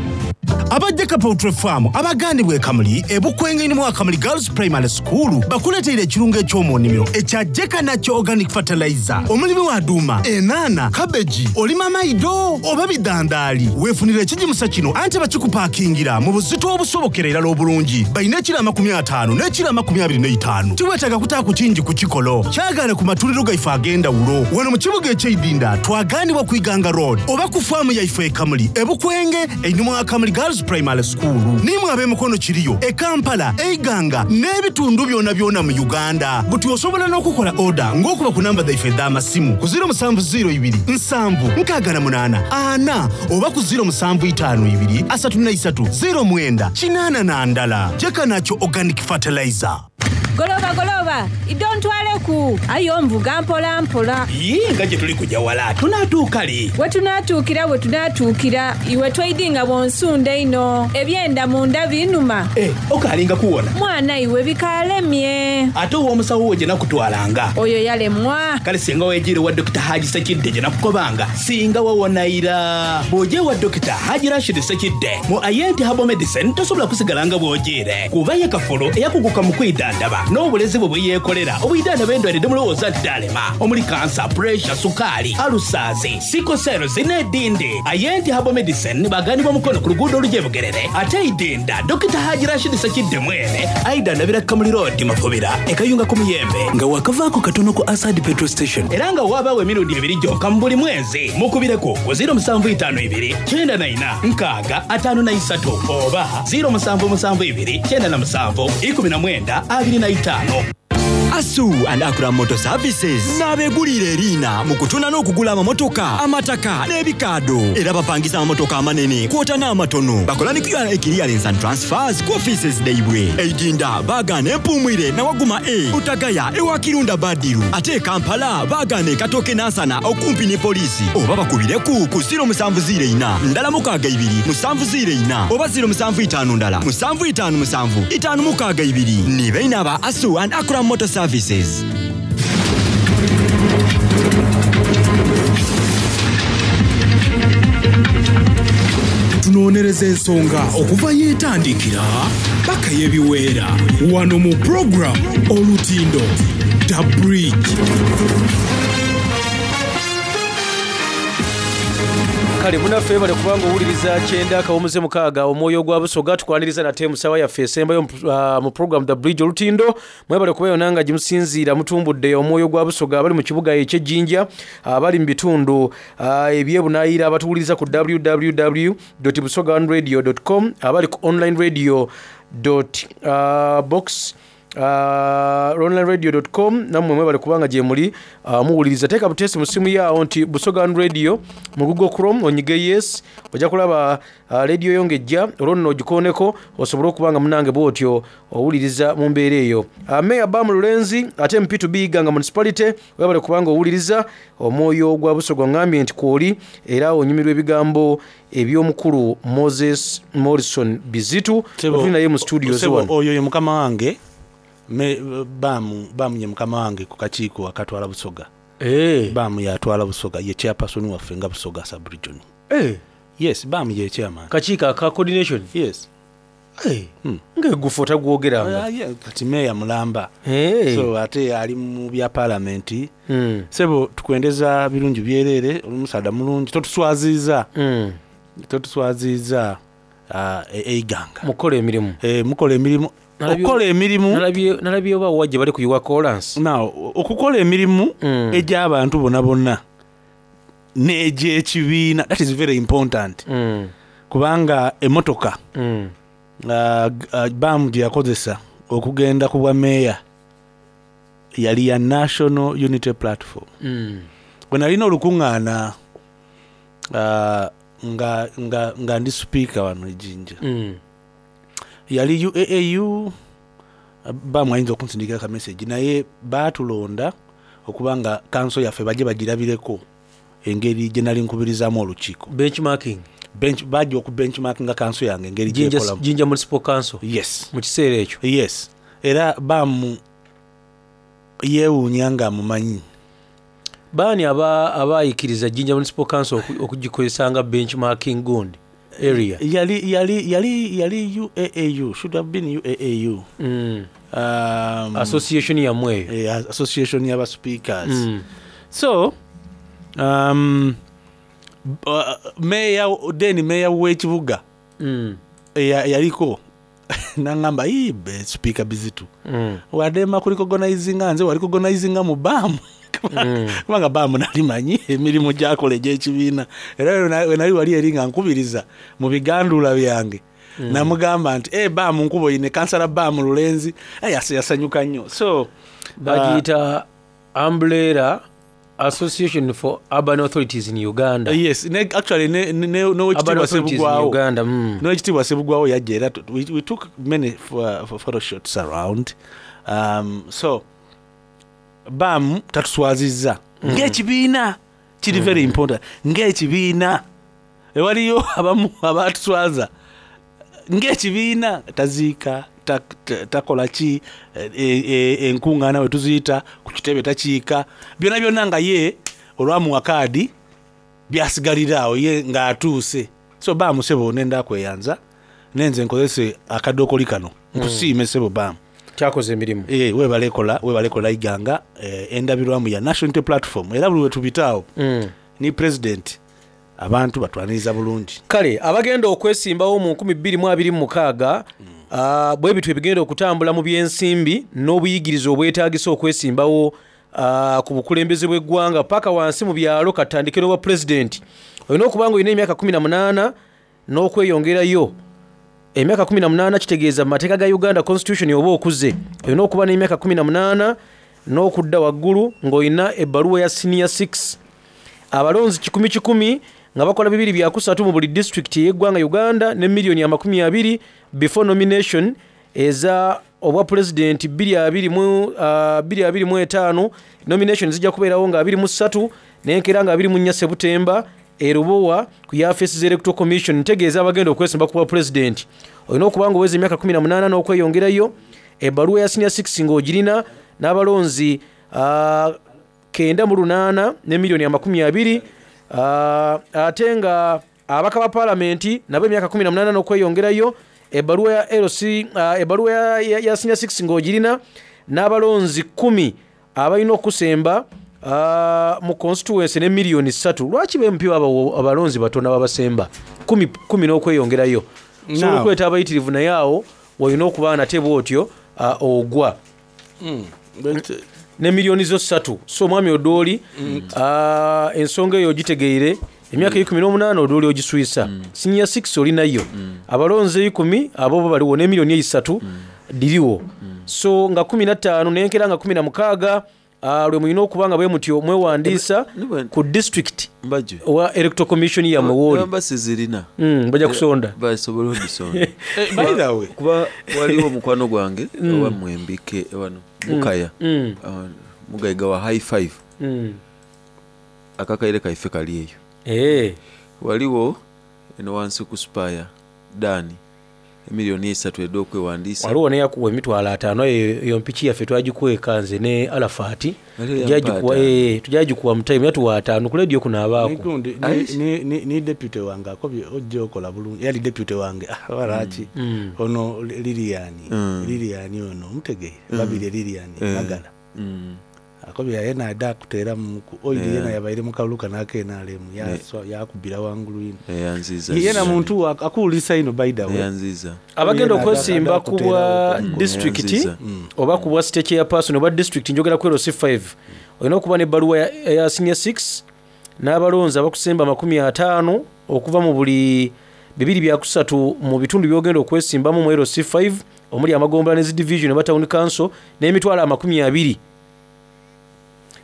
Aba Jeka Poultry Farm abagandibwa e Kamuli e Bukwenge mu Kamuli Girls Primary School bakuleteire ekirungo eky'omu nnimiro ekya Jeka Nakyo Organic Fertilizer. Omulimi wa duuma, enaana, kabeji, olima maido oba bidandaali, weefunire ekigimusa kino anti bakikupaakingira mu buzito obusobokera irala obulungi. Balina ekiro 50 n'ekiro 25. Tiweetaaga kutaaku kingi ku kikolo. Kyagaane ku matundiro gaife ag'endawulo. Wano mu kibuga eky'eidinda twagaanibwa ku Iganga Road oba ku faamu yaife e Kamuli e Bukwenge einhuma wa Kamuli Girls Primary School. Nimwe ab'emikono kiriyo e Kampala, e Iganga n'ebitundu byonabyona mu Uganda. Buti osobola n'okukola oda ng'okuba ku namba dhaife edh'amasimu ku 0702 7 68 4 oba ku 0752 33 09 81. Jeka Nakyo Organic Fertilizer. Goloba goloba, idho ntwaleku. Aye onvuga mpola mpola. Yii nga gye tuli kuja wala, tunaatuuka li? We tunaatuukira we tunaatuukira. Iwe toidhi nga bw'onsunda einho. Ebyenda munda binuma. Eh, okaalinga kuwona? Mwana iwe bikaalemye. Ate ow'omusawo wo gye nakutwalanga? Oyo yalemwa. Kale singa weejiire ewa Dokita Haji Ssekidde gye nakukobanga, singa wawona ira. Bw'oja ewa Dokita Haji Rashid Ssekidde mu Ayenti Herbal Medicine tosobola kusigala nga bw'ojiire kuba ye kafulu eyakuguka mu kwidhandhaba n'obulezi bwe bwe yeekolera obwidhandhaba endwaire dhe mulowooza nti dhaalema omuli kansa, puresha, sukaali, alusaazi, siko seerozi n'edhindi. Ayenti Herbal Medicine baghanibwa Mukono ku luguudo oluja e Bugerere ate e Idinda Dokita Haji Rashid Ssekidde mwene aidhandhabira Kamuli Road Mafubira e Kayunga ku Muyembe nga waakavaaku katono ku Asad Petrol Station era nga waabaawo emirundi ebiri gyonka mu buli mwezi. Mukubireku ku 0752 94 60 53 oba 0772 97 19 25. Asu and Akram Motor Services n'abeeguliira eriina mu kutunda n'okugula amamotoka, amataka n'ebikaado era bapangisa amamotoka amanene kwota n'amatono. Bakola ni URA Clearance and Transfers ku offices dhaibwe. E Idinda baagaana Empuumwire na Waguma A, Butagaya ewa Kirunda Badiru ate e Kampala baagaana e Katooke Nansana okumpi ni poliisi oba bakubireku ku 0704 ndala mukaaga ibiri 704 oba 07 5 ndala 757 562. Ni baine aba Asu and Akram Motor Services. Tunonereza ensonga okuva yetandikira paka yebiweera wano mu program Olutindo The Bridge. Kale munaffe webale kuba nga owuliriza kyenda akawumuze mukaaga omwoyo gwa Busoga. Tukwaniriza nate mu ssaawa yaffe esembayo mu program The Bridge Olutindo. Mwebale kuba yona nga gyemusinziira mutumbudde omwoyo gwa Busoga abali mu kibuga eky'e Jinja, abali mu bitundu eby'ebunaayira, abatuwuliriza ku www busogaoneradio com, abali ku online radio box onlineradio com, nammwe mwebale kubanga gyemuli muwuliriza. Teeka buteesi mu simu yaawo nti Busoga One Radio mu Google Chrome, onyige yes, ojja kulaba radio yo ng'ejja, olwo nno ogikooneko osobole okuba nga munange bwotyo owuliriza mu mbeera eyo. Mayor Bam Lulenzi ate MP to be Iganga Municipality, webale kubanga owuliriza omwoyo gwa Busoga, ongambye nti kwoli era onyumirwa ebigambo eby'omukulu Moses Morrison Bizitu tuli naye mu studios wano. Oyo ye mukama wange Bamu, Bamu ye mukama wange ku kakiiko akatwala Busoga. Bamu yatwala Busoga, ye chairperson waffe nga Busoga sub-region. Yes, Bamu ye chairman. Kakiiko aka coordination? Yes. Ng'eggufu otagwogeranga. Yeah, kati meya mulamba. So ate ali mu bya parliament. Sebo tukwendeza birungi byerere, oli musaadha mulungi, totuswaziiza. Totuswaziiza eiganga. Mukola emirimu. Mukola emirimu. Okukola emirimu. Nalabye oba wajja bali kuyiwa kolansi. Now, okukola emirimu egy'abantu bonna bonna n'egy'ekibiina, that is very important. Kubanga emmotoka Bamu gye yakozesa okugenda ku bwa meeya yali ya National Unity Platform. Bwe nalina olukuŋŋaana nga ndi sipiika wano e Jinja. Yali UAAU, Bamu ayinza okunsindikira ka message, naye baatulonda okuba nga kanso yaffe bajje bagirabireko engeri gye nali nkubirizaamu olukiiko. Benchmarking. Bajja okubenchmarkinga kanso yange engeri gyekolamu. Jinja Municipal Council. Yes. Mu kiseera ekyo. Yes. Era Bamu yeewuunya nga amumanyi. Baani abaayikiriza Jinja Municipal Council okugikozesa nga benchmarking gundi area? Yali UAAU, should have been UAAU. Association yammwe eyo. Association y'aba speakers. So, mayor, then mayor w'ekibuga yaliko nangamba, "Ii, be speaker Bizitu. Wadema kurecognizinga nze, warecognizinga mu Bamu." Kubanga Bamu nali manyi emirimu gyakola egy'ekibiina. Era we nali wali eri nga nkubiriza mu bigandula byange. Namugamba nti, Bamu nkubo yine kansala Bamu Lulenzi." Yasanyuka nnyo. So, bagiyita Umbrella Association for Urban Authorities in Uganda. Yes, actually Urban n'owekitiibwa Authorities in Sebugwawo. Uganda. N'owekitiibwa Sebugwawo yajja era we took many photo shots around. So Bamu tatuswazizza. Ng'ekibiina kiri very important. Ng'ekibiina ewaliyo abamu abatuswaza. Ng'ekibiina taziika, takola ki, enkuŋŋaana we tuziyita ku kitebe takiika, byonna byonna nga ye olwamuwa kaadi byasigalira awo ye ng'atuuse. So Bamu sebo nenda kweyanza nenze nkozese akadookoli kano nkusiime sebo Bamu. Kyakoze emirimu. Webale kola iganga, endabirwamu ya National Unity Platform, era buli we tubitaawo ni president abantu batwaniriza bulungi. Kale abagenda okwesimbawo mu 2026, bwe bityo ebigenda okutambula mu byensimbi n'obuyigirize obwetaagisa okwesimbawo ku bukulembeze bw'eggwanga paka wansi mu byalo. Katandike n'obwa pulezidenti. Olina okuba nga olina emyaka 18 n'okweyongerayo. Emyaka 18 kitegeeza mu mateeka ga Uganda Constitution oba okuze. Olina okuba n'emyaka 18 n'okudda waggulu ng'olina ebbaluwa ya senior 6. Abalonzi kikumi kikumi nga bakola bibiri bya kusatu mu buli disitulikiti ey'eggwanga Uganda ne miliyoni 20 before nomination eza obwa pulezidenti 2025. Nomination zijja kubeerawo nga 23 n'enkeera nga 24 Sebutemba e Lubowa ku yafeesi z'Electoral Commission. Ntegeeza abagenda okwesimba ku bwa pulezidenti, olina okuba nga oweza emyaka 18 n'okweyongerayo, ebbaluwa ya senior 6 ng'ogirina, n'abalonzi 98 ne miliyoni 20. Ate nga ababaka ba paalamenti nabo emyaka 18 n'okweyongerayo, ebbaluwa ya LC, ebbaluwa ya senior 6 ng'ogirina, n'abalonzi 10 abalina okusemba. Mu constituency ne million ssatu lwaki ba MP babawa abalonzi batono ababasemba kumi kumi n'okweyongerayo? Osobola Now. okweta abayitirivu naye awo wolina okuba nate bwotyo ogwa ne million zo ssatu. So omwami Odooli ensonga eyo ogitegeire. Emyaka eikumi n'omunaana Odooli ogiswisa. Senior 6 olinayo. Abalonzi eikumi abo bo baliwo ne million eisatu dhiriwo. So nga 15 n'enkera nga 16 lwe mulina okuba nga bwemutyo mwewandiisa ku district owa Electoral Commission yammwe wooli. Namba sizirina. Bajja kusonda. Basobola odisonda. By the way. Kuba waliwo mukwano gwange owa Mwembike wano Bukaya. Mugaiga wa High Five. Akakaire kaife kali eyo. Waliwo eno wansi ku Spire Dani emiliyoni esatu edh'okwewandiisa. Waliwo n'eyakuwa emitwalo ataano aye eyo mpiki yaffe twagikweka nze ne Alafati. Waliwo eyampa Tujagikuwa, ataano. tujagikuwa mu time yatuwa ataano ku leediyo kuno abaaku. Nikundi, ni deputy wange akobye ojja okola bulungi. Yali deputy wange. Walaki. Ono Lilian. Lilian ono omutegeere. Babiri Lilian Magala. Akobye yena ada kuteera mu ku oil yena yabaire mu kalulu kano aka NRM yakubira wangulu ino. Eyanziza. Yena muntu akuwulisa ino by the way. Eyanziza. Abagenda Yena okwesimba ada ku bwa kuteerawo. district Eyanziza. oba ku bwa state chairperson oba district njogera ku LC5 olina okuba n'ebbaluwa eya senior 6 n'abalonzi abakusemba amakumi ataano okuva mu buli bibiri bya kusatu mu bitundu by'ogenda okwesimbamu mu LC5 omuli amagombolola ne zi division oba town council n'emitwalo amakumi abiri.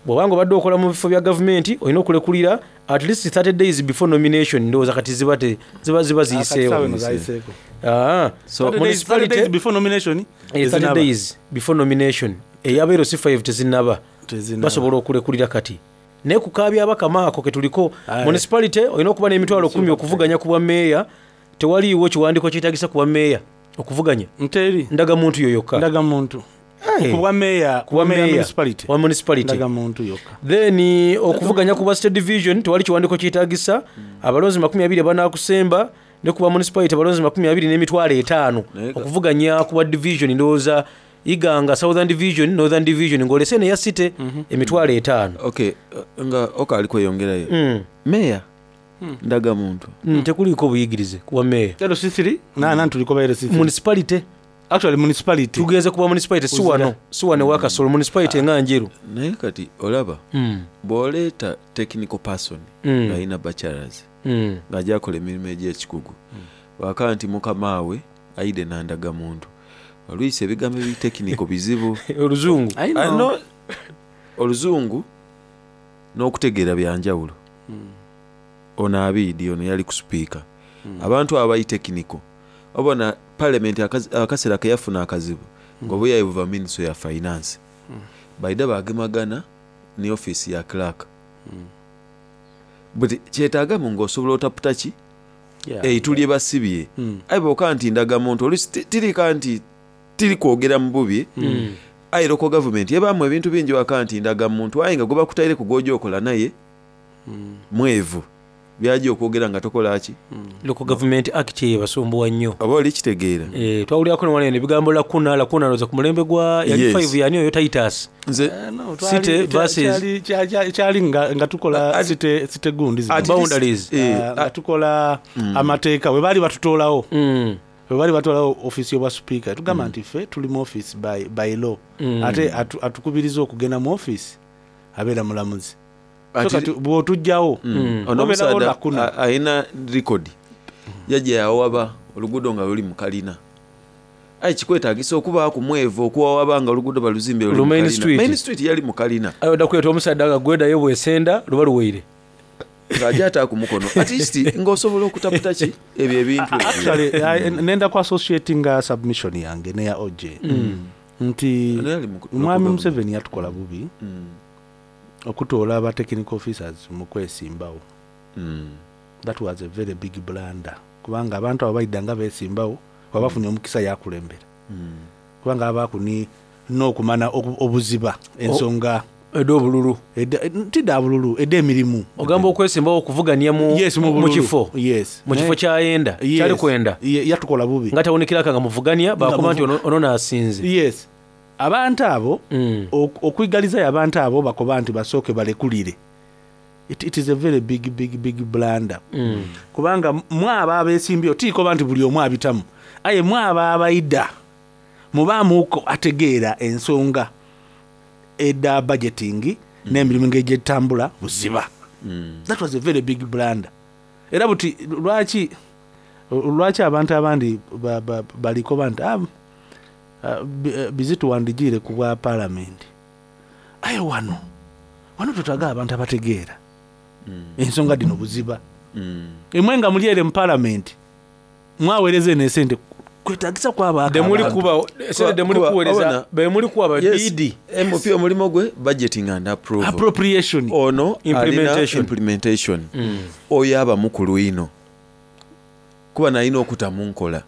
Bw'obanga obadde okola mu bifo bya gavumenti olina okulekulira at least 30 days before nomination. Ndowooza kati ziba ziba ziba ziyiseewo. Kati sawa eno zayiseeko. So 30 days, 30 municipality days before nomination, 30 tezinaba. days before nomination eyaba LC5 tezinaba. Tezinaba. Basobola okulekulira kati. Naye ku kabyabakama ako ke tuliko municipality olina okuba n'emitwalo 10 okuvuganya ku bwa meeya. Tewaliiwo kiwandiiko kyetaagisa ku bwa meeya okuvuganya. Nteri. Ndagamuntu yo yokka. Ndagamuntu. Ku bwa meeya, Ku bwa meeya meeya. municipality. Wa municipality. Ndagamuntu yokka. Then okuvuganya ku bwa state division tewali kiwandiiko kyetaagisa. Abalonzi makumi abiri abanaakusemba ne ku bwa municipality abalonzi makumi abiri n'emitwalo etaano okuvuganya ku bwa division. Ndowooza Iganga Southern Division, Northern Division ng'olese neya city emitwalo etaano. Okay, nga okaali kweyongerayo. Meeya ndagamuntu. Tekuliiko buyigirize ku bwa meeya. LC3 na tuliko ba LC3. Municipality. Actually municipality. Tugenze kuba municipality si wano, si wano ewa Kasolo municipality nga Njeru. Naye kati olaba bw'oleeta technical person ng'alina bachelors ng'ajja akola emirimu egy'ekikugu bw'akaa nti mukama we aide n'andagamuntu oluyisa ebigambo ebitekiniko bizibu. Oluzungu. I know. No, oluzungu n'okutegeera byanjawulo. Ono abiidi ono yali ku sipiika. Abantu abo abayitekiniko obona parliament akaseera ke yafuna akazibu ng'obuyayi buva ministry ya finance baida bagemagana ne office ya clerk but kyetaagamu ng'osobola otaputa ki eitu lye basibye aye bw'oka nti ndagamuntu oluusi tirika nti tiri kwogera mu bubi aye local government ebaamu ebintu bingi waka nti ndagamuntu aye nga gwe bakutaire ku gw'ojja okola naye mwevu byajja okwogera nga tokola ki. Local Government Act eyo basumbuwa nnyo. Oba oli kitegeera. Twawulirako ne wano eno ebigambo lakuna lakuna ndowooza ku mulembe gwa yali 5 yani oyo Titus. Nze No, City versus kyali nga tukola city gundi zino. At least- Boundaries. Nga tukola amateeka we baali batutoolawo. We baali batutoolawo office y'obwa speaker. Tugamba nti ffe tuli mu office by law. Ate atukubiriza okugenda mu office abeera mulamuzi. So kati bw'otujjawo Ono obeerawo omusaadha lakuna. alina record yajja yawaba oluguudo nga luli mu kalina aye kikwetaagisa okubaaku mwevu okuwawaba nga oluguudo baluzimbye luli Lu mu Main kalina. Street. Main Street yali mu kalina. Ayo odda kuleeta omusaadha nga gwedayo bwesenda luba luweire. Ng'ajja ate ku mukono at least ng'osobola okutaputa ki ebyo ebintu ebyo. Actually, nenda ku associatinga submission yange neya OJ nti Ono yali mu- mwami local Museveni yatukola bubi okutoola aba technical officers mu kwesimbawo. That was a very big blunder kubanga abantu abo baidda nga beesimbawo wabafunye omukisa yakulembera kubanga abaaku ni n'okumana obuziba ensonga ed'obululu tidda bululu ed'emirimu. Ogamba okwesimbawo okuvuganya Yes, mu mu bululu. kifo. Yes. Mu kifo kyayenda, Yes. kyali kwenda. Yatukola bubi. Nga tawunikiraka nga muvuganya bakuba nti ono naasinze. Yes. Abantu abo okwigalizayo abantu abo bakoba nti basooke balekulire it, it is a very big big big blunder kubanga mwabo abesimbyewo tikoba nti buli omu abitamu aye mwabo abaida mubaamuko ategeera ensonga eda budgeting n'emirimu engeri gyetambula buziba. That was a very big blunder. Era buti lwaki lwaki abantu abandi balikoba nti ah, bizitu wandigiire ku bwa parliament, aye wano wano twetaaga abantu abategeera ensonga dino buziba. Imwe nga muli ere mu parliament mwaweereza eno esente kwetagisa kwaba Demuli kuba esente demuli kuweereza bemuli kuba Yes, BD. MP omulimu gwe budgeting and approval. Appropriation. Ono Implementation. alina implementation. Oyo aba mukulu ino kuba nalina okutamu nkola,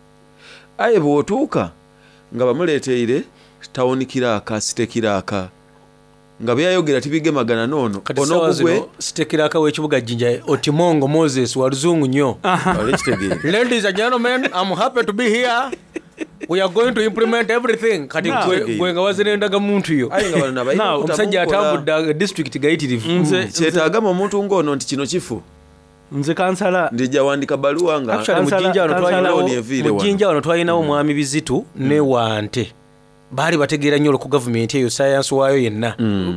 aye bw'otuuka nga bamuleeteire tawuni kiraaka site kiraaka nga byayogera tibigemagana noono. Kati sawa zino sitekiraka w'ekibuga Jinja Otimongo Moses wa luzungu nnyo. Olekitegeera. Ladies and gentlemen, I'm happy to be here. We are going to implement everything. Kati Now- gwe nga wazira endagamuntu yo. Aye nga bano nabalina Now, omusajja okutamu nkola. atambudde district gayitirivu. Kyetaagamu omuntu ng'ono nti kino kifu. Nze kansala ndijja wandika baluwa nga Actually, mu Jinja wano twalinawo- mu Jinja wano twalinawo mwami Bizitu ne Wante. Baali bategeera nnyo ku gavumenti eyo sayansi waayo yenna.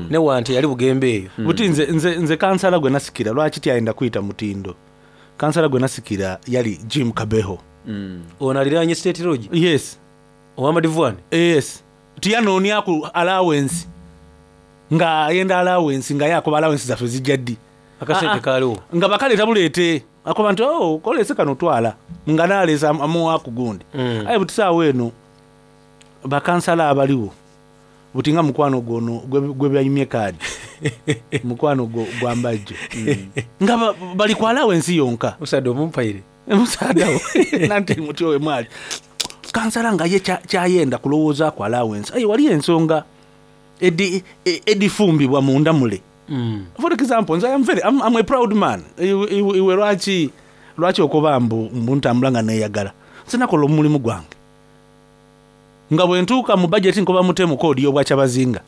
Ne Wante yali Bugembe eyo. Buti nze kansala gwe nasikira lwaki tyayenda kuyita mutindo, kansala gwe nasikira yali Jim Kabeho. Ono aliraanye State Lodge? Yes. Owamadivuani? Yes. Tiyanoonyaku allowance nga ayenda allowance nga yakoba allowance zaffe zijja ddi. Akasente kaaliwo. Nga bakaleeta buleete akoba nti oh, kolese kano twala nga naleesa amuwaku gundi. Aye buti saawa eno bakansala abaliwo buti nga mukwano gwono gwe byayimye kaadi mukwano gwa Mbajjo nga bali ku allowance yonka. Musaada omumpaire musaada wo nanti muti owe mwali kansala nga ye kyayenda kulowooza ku allowance, aye wali ensonga edifumbibwa munda mule. For example, nze I'm a proud man. Iwe lwaki okoba mbu ntambula nga neeyagala? Nze nakola omulimu gwange nga bwe ntuuka mu budget nkoba mutemu koodi y'obwakyabazinga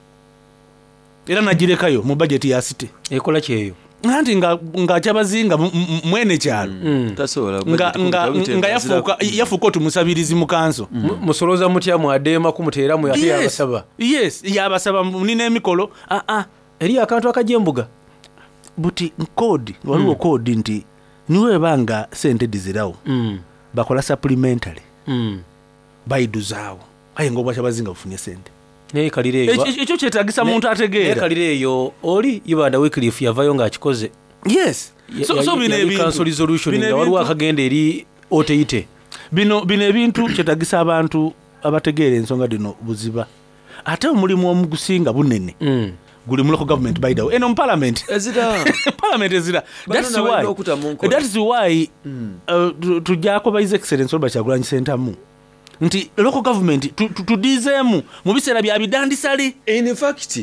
era nagirekayo mu budget ya site. Ekola kyeyo. Anti nga kyabazinga mwene kyalo tasobola nga yafuuka otumusabirizi mu kanso. Musoloza mutya mwadeema kumuteeramu ate yabasaba. Yes, yabasaba nina emikolo. Aa, eri akantu akajja embuga. Buti koodi waliwo koodi nti niweba nga sente dizirawo bakola supplementary bayiduzaawo, aye nga obwakyabazinga bufunye sente. Nekalira eyo. Ekyo kyetagisa muntu ategeera. Nekalira eyo oli Ibanda Wycliffe yavayo ng'akikoze. Yes. So bino ebintu council resolution bino nga waliwo ebintu- akagenda eri oteite. Bino ebintu kyetagisa abantu abategeera ensonga dino buziba, ate omulimu omugusinga bunene guli mu local government. By the way, eno mu parliament ezira parliament ezira. Bano That's nabalina why okutamu nkola. That is why tujjako ba His Excellence Robert Kyagulanyi Ssentamu nti local government tudizeemu mu biseera bya bidandisale. In fact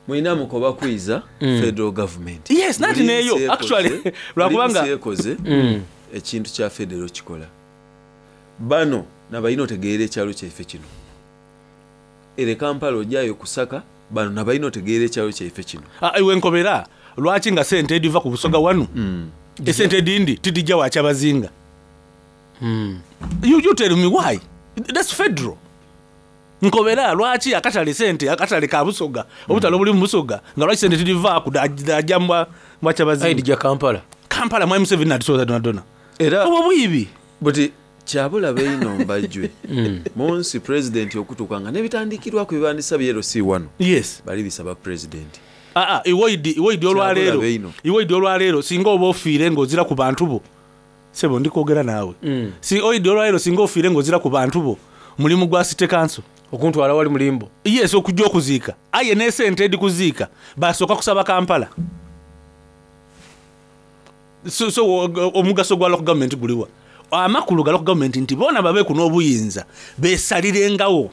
mulina mukoba kwiza federal government. Yes, nanti Buli neeyo, nsi ekoze- actually, buli lwakubanga- nsi ekoze ekintu kya federal kikola bano nabalina otegeera ekyalo kyaife kino ere Kampala ojjayo kusaka bano nabalina otegeera ekyalo kyaife kino. Ah, iwe nkobera lwaki nga sente ediva ku Busoga wanu esente edindi tidijja wakyabazinga? You tell me why. That's federal. Nkobera lwaki akatale sente akatale ka Busoga obutale obuli mu Busoga nga lwaki sente tidivaaku dajja mbwakyabazinga Dija Kampala. Kampala mwami Museveni natusoza donadona era obwo bwibi buti kyabulabe ino Mbajjwe munsi president okutuuka nga nebitandikirwako ebibandisa byero si wano. Yes. Bali bisaba president. Aa, iwoidi olwaleero Kyabulabe ino. iwoidi olwaleero singa oba ofiire ng'ozira ku bantu bo, sebo ndikwogera naawe. Si oidi olwaleero singa ofiire ng'ozira ku bantu bo, mulimu gwa city council okuntwala wali mulimbo. Yes, okujja okuziika, aye n'esente edikuziika basooka kusaba Kampala. So omugaso gwa local government guliwa? Amakulu ga local government nti boona babeeku n'obuyinza besalirengawo.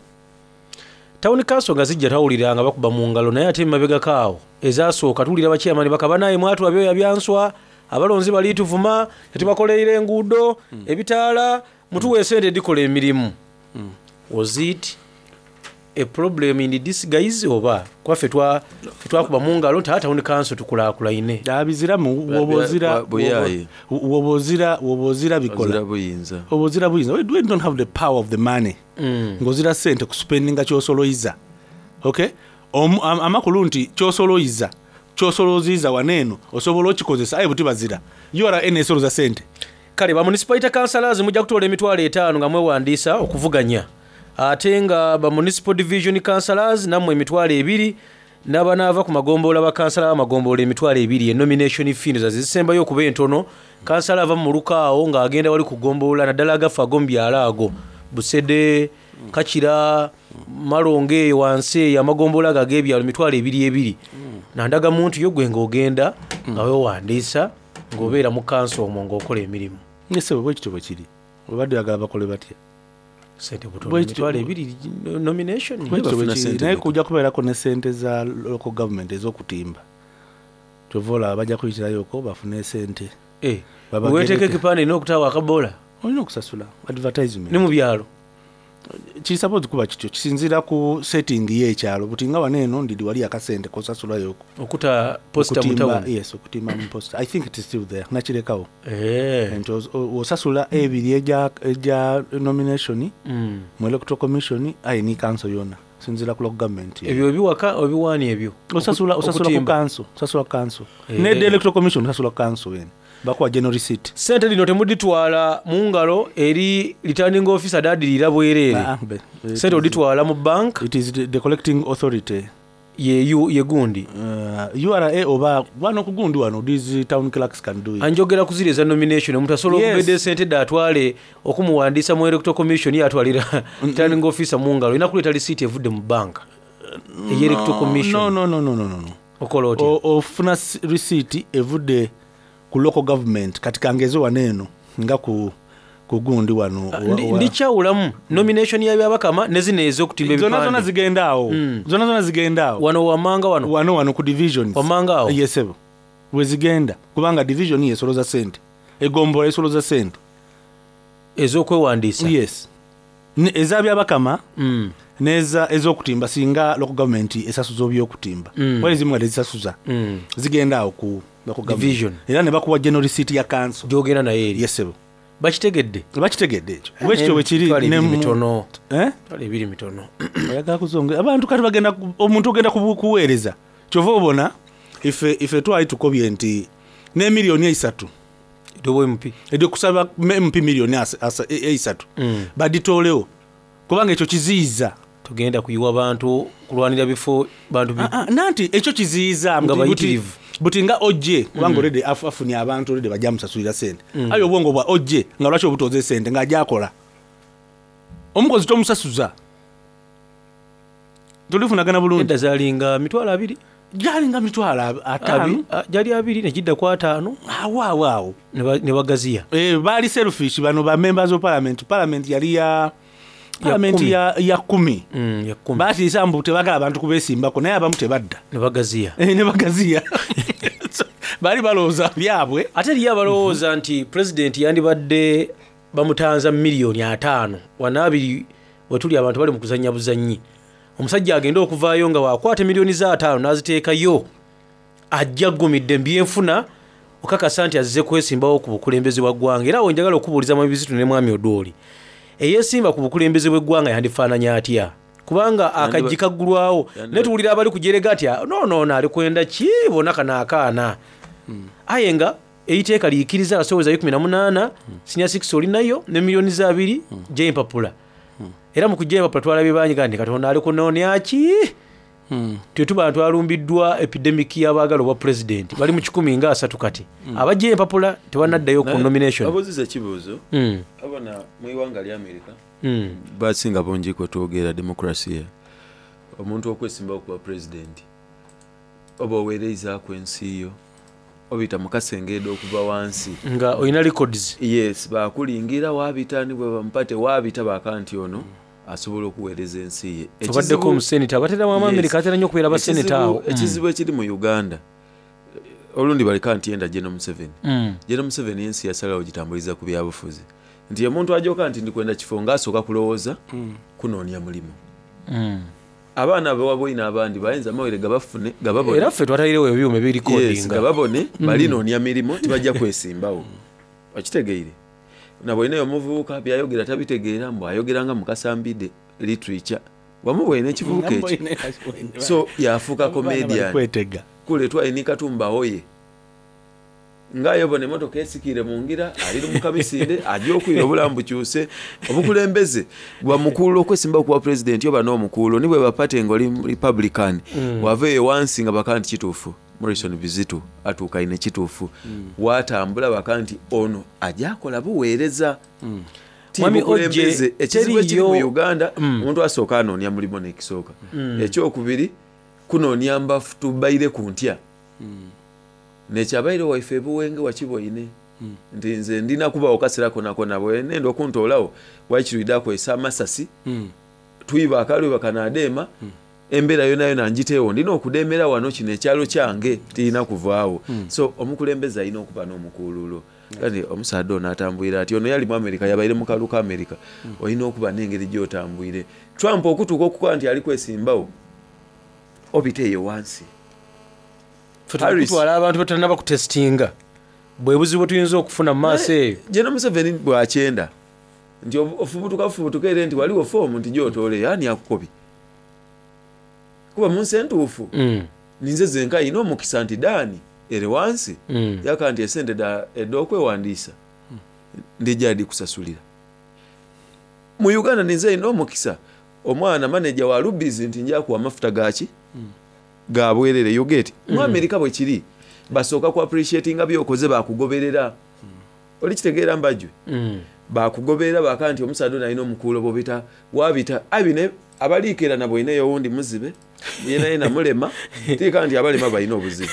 Town council nga zijja twawulira nga bakuba mu ngalo, naye ate emabegako awo ezasooka tuwulira bachairman bakaba naye mwatu abyoya byanswa abalonzi bali tuvuma tetubakoleire enguudo ebitaala mutuwa esente edikola emirimu. Was it a problem in disguise oba? Kuba ffe twa ffe twakuba mu ngalo nti aa town council tukulakulaine. Biziramu woba ozira Buyaye. woba ozira woba ozira bikola Ozira buyinza. Oba ozira buyinza. We don't have the power of the money. Ng'ozira sente kuspendinga kyosoloiza. Okay? Amakulu nti kyosoloiza kyosoloziza waneeno osobola okikozesa aye buti bazira URN esoloza sente. Kale ba municipality councillors mujja kutoola 50,000 nga mwewandiisa okuvuganya, ate nga ba municipal division councillors nammwe 20,000, n'abanaava ku magombolola bakansala b'amagombolola 20,000. Enomination fee ndowooza zisembayo okuba entono. Kansala ava mu muluka awo ng'agenda wali ku gombolola, naddala agafa ag'omu byalo ago Busede, Kakira, Malongo eyo wansi eyo amagombolola ago ag'ebyalo, 20,000 ebiri nandagamuntu yo, gwe ng'ogenda nga weewandiisa ng'obeera mu kanso omwo ng'okola emirimu. Ssebo, bwekityo bwe kiri. Obadde oyagala bakole batya? Sente butono, Bwekityo- 20,000 nomination. Bwekityo bwe kiri. Naye kujja kubeerako ne sente za local government ez'okutimba, kyova olaba bajja kuyitirayoko bafune sente. Weteeka ekipande erina okutaawo akabola. Olina okusasula advertisement. Ne mu byalo Kiri suppose kuba kityo, kisinziira ku setting y'ekyalo. Buti nga wano eno ndidi wali akasente kosasulayoko okuta poster mu Okutimba- town. Yes, okutimba mu poster. I think it is still there, nakirekawo nti osasula ebiri egya nomination mu electoral commission, aye ni council yona sinziira ku local government. Ebyo ebiwaka obiwaani ebyo Osasula ku Okutimba. council, osasula ku council. Ne the electoral commission osasula ku council wene bakuwa general receipt. Sente lino temuditwala mu ngalo eri returning officer dadirira bwereere. Ah, Sente oditwala mu bank. It is the collecting authority. Ye gundi. URA oba wano ku gundi wano, these town clerks can do it. Anjogera ku ziri eza nomination, omuntu asobola okubedda esente dde atwale okumuwandiisa mu electoral commission, ye atwalira returning officer mu ngalo? Olina kuleeta receipt evudde mu banka eye electoral commission. No, no, no, no, no, no. Okola otya? Ofuna receipt evudde ku local government. Kati kangeze wano eno nga ku gundi wano Ndikyawulamu nomination y'abyabakama ne zino ez'okutimba Zonna ebipande. zonna zigenda awo. Zonna zonna zigenda awo. Wano wamanga wano. Wano ku divisions. Wamanga awo. Yes sebo. Wezigenda kubanga division yesoloza sente. Egombola esoloza sente. Ez'okwewandiisa. Yes. Ezabyabakama neza ez'okutimba, singa local government esasuza obyokutimba. Wali ezimu nga tezisasuza. Zigenda awo ku local government. Division. Era ne bakuwa general receipt ya council. Gyogenda naye eri. Yes sebo. Bakitegedde. Bakitegedde ekyo. Bwekityo bwe kiri. Emitwalo ne ebiri mitono. Eh? Emitwalo ebiri mitono. Oyagala kuzonga abantu kati bagenda omuntu ogenda kuweereza, kyova obona ife twali tukobye nti ne 3 miliyoni mp kusaba mp miliyoni 3 baditoolewo kubanga ekyo kiziyiza. Tugenda kuyiwa bantu kulwanira bifo bantu Nanti ekyo kiziyiza Nga buti bayitirivu. Buti nga ojje kubanga already afunye abantu already bajja musasulira sente. Aye obwongo bwa ojje nga lwaki obutoza esente ng'ajja akola omukozi tomusasuza, tulifunagana bulungi. Edda zalinga 20,000. Gyalinga 50,000. Gyali 20 negidda ku 50. Awo awo awo. Ne bagaziya. Baali selfish bano ba members of parliament. Parliament yali ya parliament 10. ya 10. Ya 10. Batiisa mbu tebagala abantu kubesimbako, naye abamu tebadda. Ne bagaziya. Ne bagaziya. So, baali balowooza byabwe. Ate eriyo abalowooza nti pulezidenti yandibadde bamutanza 50 miliyoni wana abiri wetuli abantu bali mu kuzannya buzannyi. Omusajja agenda okuvaayo nga wakwata 50 miliyoni n'aziteekayo, ajja aggumidde mbyenfuna okakasa nti azze kwesimbawo ku bukulembeze bwa ggwanga. Era awo njagala okubuuliza mu ebizitu ne mwami Odooli, eyeesimba ku bukulembeze bw'eggwanga yandifaananya atya? Kubanga akaggi kaggulwawo naye tuwulira abali kujerega atya, no ali kwenda ki bona kano akaana, aye nga eriteeka liyikiriza asobozesa 18 senior 6 olinayo ne 20 miliyoni gy'empapula. Era mu kujja empapula twalabye bangi ga nti Katonda ali kunoonya ki tetuba twalumbiddwa epidemic y'abaagala obwa pulezidenti bali mu 130 kati abajja empapula tebanaddayo ku nomination. Abuuziza ekibuuzo. Abona mu iwanga lya America, basinga bungi kwetwogera democracy, omuntu okwesimbawo kuba pulezidenti oba oweereizaaku ensi yo obita mukasengedde okuva wansi. Nga olina records. Yes, bakulingira wabita ni bwe bamupa tewabita baka nti ono asobola okuweereza ensi ye. Obaddeko omusenita, abatera mu America atera nnyo okubeera basenita awo. Ekizibu ekiri mu Uganda, olundi baleka nti yenda General Museveni. General Museveni ensi yasalawo gitambuliza ku byabufuzi, nti omuntu ajoka nti ndikwenda kifo ngaasooka kulowooza kunoonya mulimu. Abaana bewaboine abandi bayinza amawulire gabafune gababone. Era ffe twatairegho ebyuma Yes, ebirikodinga. gababone balinoonia mirimo tibajja kwesimbawo. Okitegeire? Naboineyo omuvubuka byayogera tabitegeera mbu ayogera nga Mukasa Mbidde literature. Wamubwoine ekivubuka ekyo? So yafuuka comedian. Kule twali ni Katumba Oye. Nga aye obona emotoka esikiire mu ngira, ali lumuka misinde, aja okwira obulamu bukyuse. Obukulembeze buba mukuululo okwesimbawo ku bwa Pulezidenti oba n'omukuululo. Ni bweba party nga oli Republican, bwava eyo wansi nga bakaba nti kituufu Morrison Bizitu atuukaine kituufu. Waatambula bakaba nti ono aja kola buweereza. Ti Mwami bukulembeze. Ojje, Ekizibu ekiri mu teriyo Uganda, omuntu asooka anoonia mulimo n'ekisooka. Ekyokubiri, kunoonia mbafu tubaireku ntya. Nekyabaire waife e Buwenge wakiboine nti nze ndina kubagho kasera konakona bwenenda okuntoolagho waikiri oidha kwesa amasasi twiba akalwiba kanadheema embera yonayona ngiteegho ndina okudheemera wano kino ekyalo kyange tirina kuvaagho. So omukulembeze alina okuba n'omukuululo kati omusaadha ono atambwire atya? Ono yali mu America yabaire mu kalulu ka America olina okuba n'engeri gyotambwire. Trump okutuuka okukoba nti ali kwesimbagho obita eyo wansi. Ffe tuli kutwala abantu betutanaba kutesitinga bwe buzibu bwetuyinza okufuna mu maaso eyo. General Museveni bwakyenda nti ofubutuka bufubutuka ere nti ghaligho foomu nti gyotooleyo ani akukobye? Kuba mu nsi entuufu ninze zenka alina omukisa nti Dan ere ghansi yaka nti esente edh'okwewandiisa ndija dhikusasulira. Mu Uganda ninze alina omukisa omwana maneja wa Rubis nti nja kuwa amafuta gaki? Ga bwerere you get. Mu America bwekiri basooka ku appreciatinga byokoze bakugoberera. Oli kitegeera Mbajwe? Bakugoberera baka nti omusaadha ono alina omukuulo bwobita wabita aye bino abaliikeera na bwoineyo owundi muzibe yenayena mulema tiika nti abalema balina obuzibu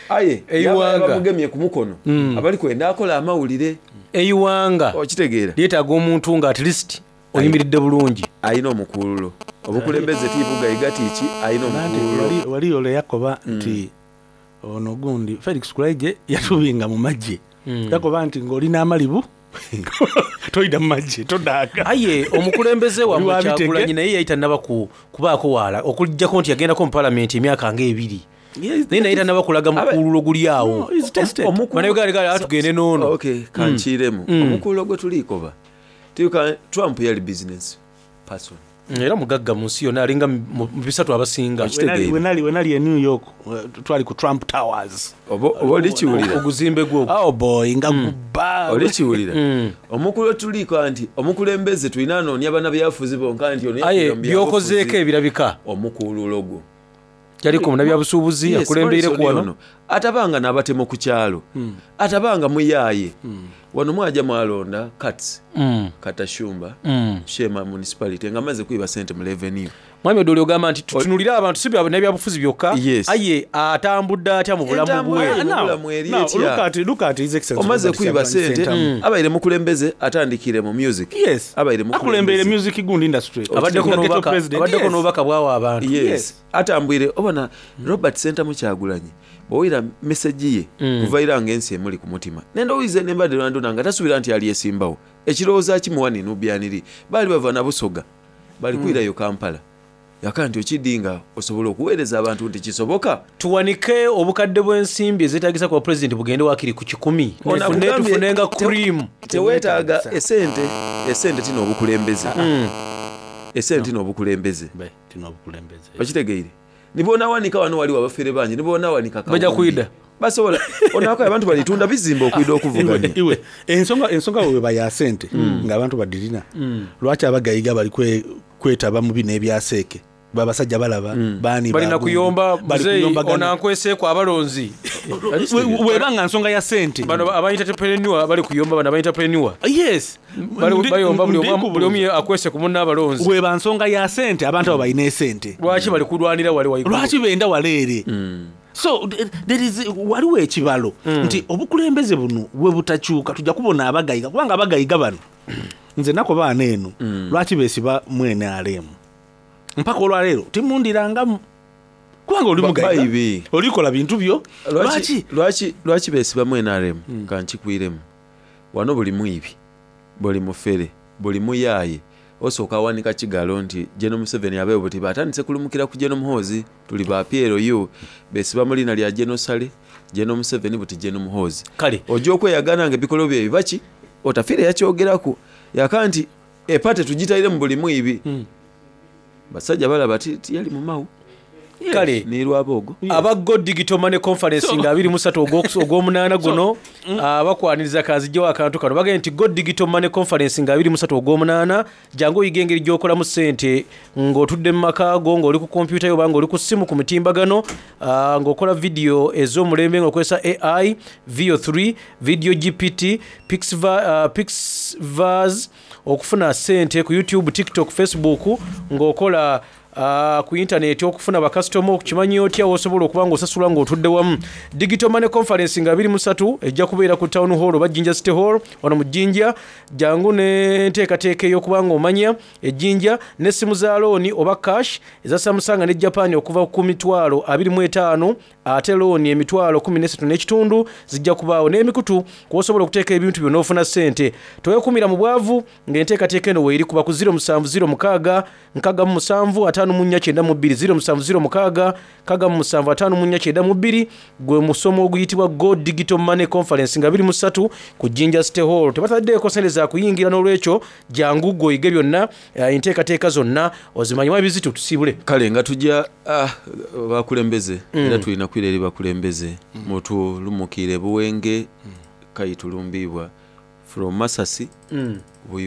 aye yaba Eighanga. bamugemye ku mukono abali kwenda akola amawulire. Eighanga Okitegeera? lyetaaga omuntu nga at least oyimiridde bulungi. Alina omukuululo. Obukulembeze ti bugaiga ti ki, alina omukuululo. Waliyo ole yakoba nti ono gundi Felix Kulaigye yatubinga mu magye. Yakoba nti ng'oli n'amalibu toidha mu magye todaaga. Aye omukulembeze wammwe Kyagulanyi naye yali tannaba kubaako waala okugyako nti yagendako mu palamenti emyaka nga ebiri. Naye naye tannaba kulaga mukuululo guli awo. Bannayuganda tugende n'ono. Okay, kankiiremu. Omukuululo gwe tuli koba Tiuka Trump yali business person. Era mugagga mu nsi yonna alinga mu bisatu abasinga. Wenali wenali e New York twali ku Trump Towers. Oba olikiwulira. Oguzimbe gwo. Oh boy nga gubba. Olikiwulira. Omukulu tuliiko nti omukulembeze tulina anoonya bannabyabufuzi bonka nti ono Aye by'okozeeko ebirabika. Omukululo gwo. Yaliko munnabyabusuubuzi akulembeire ku wano. Atabanga n'abatemo ku kyalo. Atabanga muyaaye. Wano mwaja mwalonda Kats, Katashumba, Sheema Municipality nga amaze kwiba sente mu revenue. Mwami Odoli ogamba nti tutunulire abantu si bannabyabufuzi byokka aye atambudde atya mu bulamu bwe. Omaze kwiba sente abaire mukulembeze atandikire mu music. Yes. Abaire Akulembeire music gundi industry. Abaddeko n'obubaka bwawa abantu. Yes. Atambwire obona Robert Ssentamu Kyagulanyi bw'owulira message ye kuva ira nga ensi emuli ku mutima. Nendowooza nembadde lwandona nga tasubira nti alyesimbawo. Ekirowoozo akimuwa ni Nubian Li. Baali bava na Busoga bali kwirayo Kampala. Yaka nti okidi nga osobola okuweereza abantu nti kisoboka. Tuwanike obukadde bw'ensimbi ezeetagisa ku bwapulezidenti bugende waakiri ku kikumi. Tufune nga cream. Teweetaaga esente, esente ti n'obukulembeze. Esente ti n'obukulembeze. Okitegeire? Ni bw'onawanika wano waliwo abafere bangi, ni bw'onawanika Baja kwidha. Basobola onakoya abantu balitunda bizimbe okwidha okuvuganya. Iwe ensonga ensonga weba ya sente nga abantu badirina. Lwaki abagayiga bali kwetaba mu bino ebya seeke? Babasajja balaba baani balina kuyomba muzeeyi ono ankweseeku abalonzi. Weba nga nsonga ya sente. Bano aba entrepreneur bali kuyomba bano aba entrepreneur. Yes. Bayomba buli omu akwese ku munne abalonzi. Weba nsonga ya sente abantu abo balina esente. Lwaki bali kulwanira wali waigulu? Lwaki benda waleere? So there is waliwo ekibalo nti obukulembeze buno bwe butakyuka tujja kubona abagayiga kubanga abagayiga bano nze nako baana eno lwaki beesiba mwene aleemu mpaka olwaleero timundirangamu kubanga oli mugayiga olikola bintu byo lwaki lwaki beesiba mwene aleemu kankikwiremu wano buli mwibi buli mufere buli muyaaye Osooka awanika kigalo nti General Museveni abeewo buti batandise kulumukira ku General Muhoozi tuli ba PLU besiba mu liina lya General Saleh, General Museveni buti General Muhoozi. Kale. Oja okweyagana nga ebikolwa bye biba ki? Otafiire yakyogeraku yaka nti epate tugitaire mu buli mwibi. Basajja balaba tiyali mu Mao. Kale. Ni Rwabwogo. Aba Go Digital Money Conference nga 23 Ogwomunaana guno bakwaniriza kanzigyewo akantu kano bagambye nti Go Digital Money Conference nga 23 Ogwomunaana jangu oyige engeri gy'okolamu ssente ng'otudde mu maka go ng'oli ku kompyuta yo oba ng'oli ku ssimu ku mitimbagano ng'okola vidiyo ez'omulembe ng'okozesa AI, VO3, Video GPT, Pixverse okufuna ssente ku YouTube, TikTok, Facebook ng'okola ku yintaneeti okufuna bakasitoma okimanya otya w'osobola okuba ng'osasulwa ng'otudde wamu. Digital Money Conference nga 23 ejja kubeera ku Town Hall oba Jinja City Hall wano mu Jinja. Jangu n'enteekateeka ey'okuba ng'omanya e Jinja n'essimu za looni oba cash eza Samsung ne Japan okuva ku mitwalo 25 ate looni emitwalo 13 n'ekitundu zijja kubaawo n'emikutu kw'osobola okuteeka ebintu byo n'ofuna ssente. Teweekuumira mu bwavu ng'enteekateeka eno weeri kuba ku 0706 67 54 92 0706 67 54 92 gwe musomo oguyitibwa Go Digital Money Conference nga 23 ku Jinja City Hall. Tebataddeeko ssente za kuyingira n'olwekyo jangu ggwe oyige byonna enteekateeka zonna ozimanye. Ebizito tusiibule. Kale nga tujja bakulembeze era tulina kwira eri bakulembeze mutulumukire Buwenge kayitulumbiibwa from Masasi.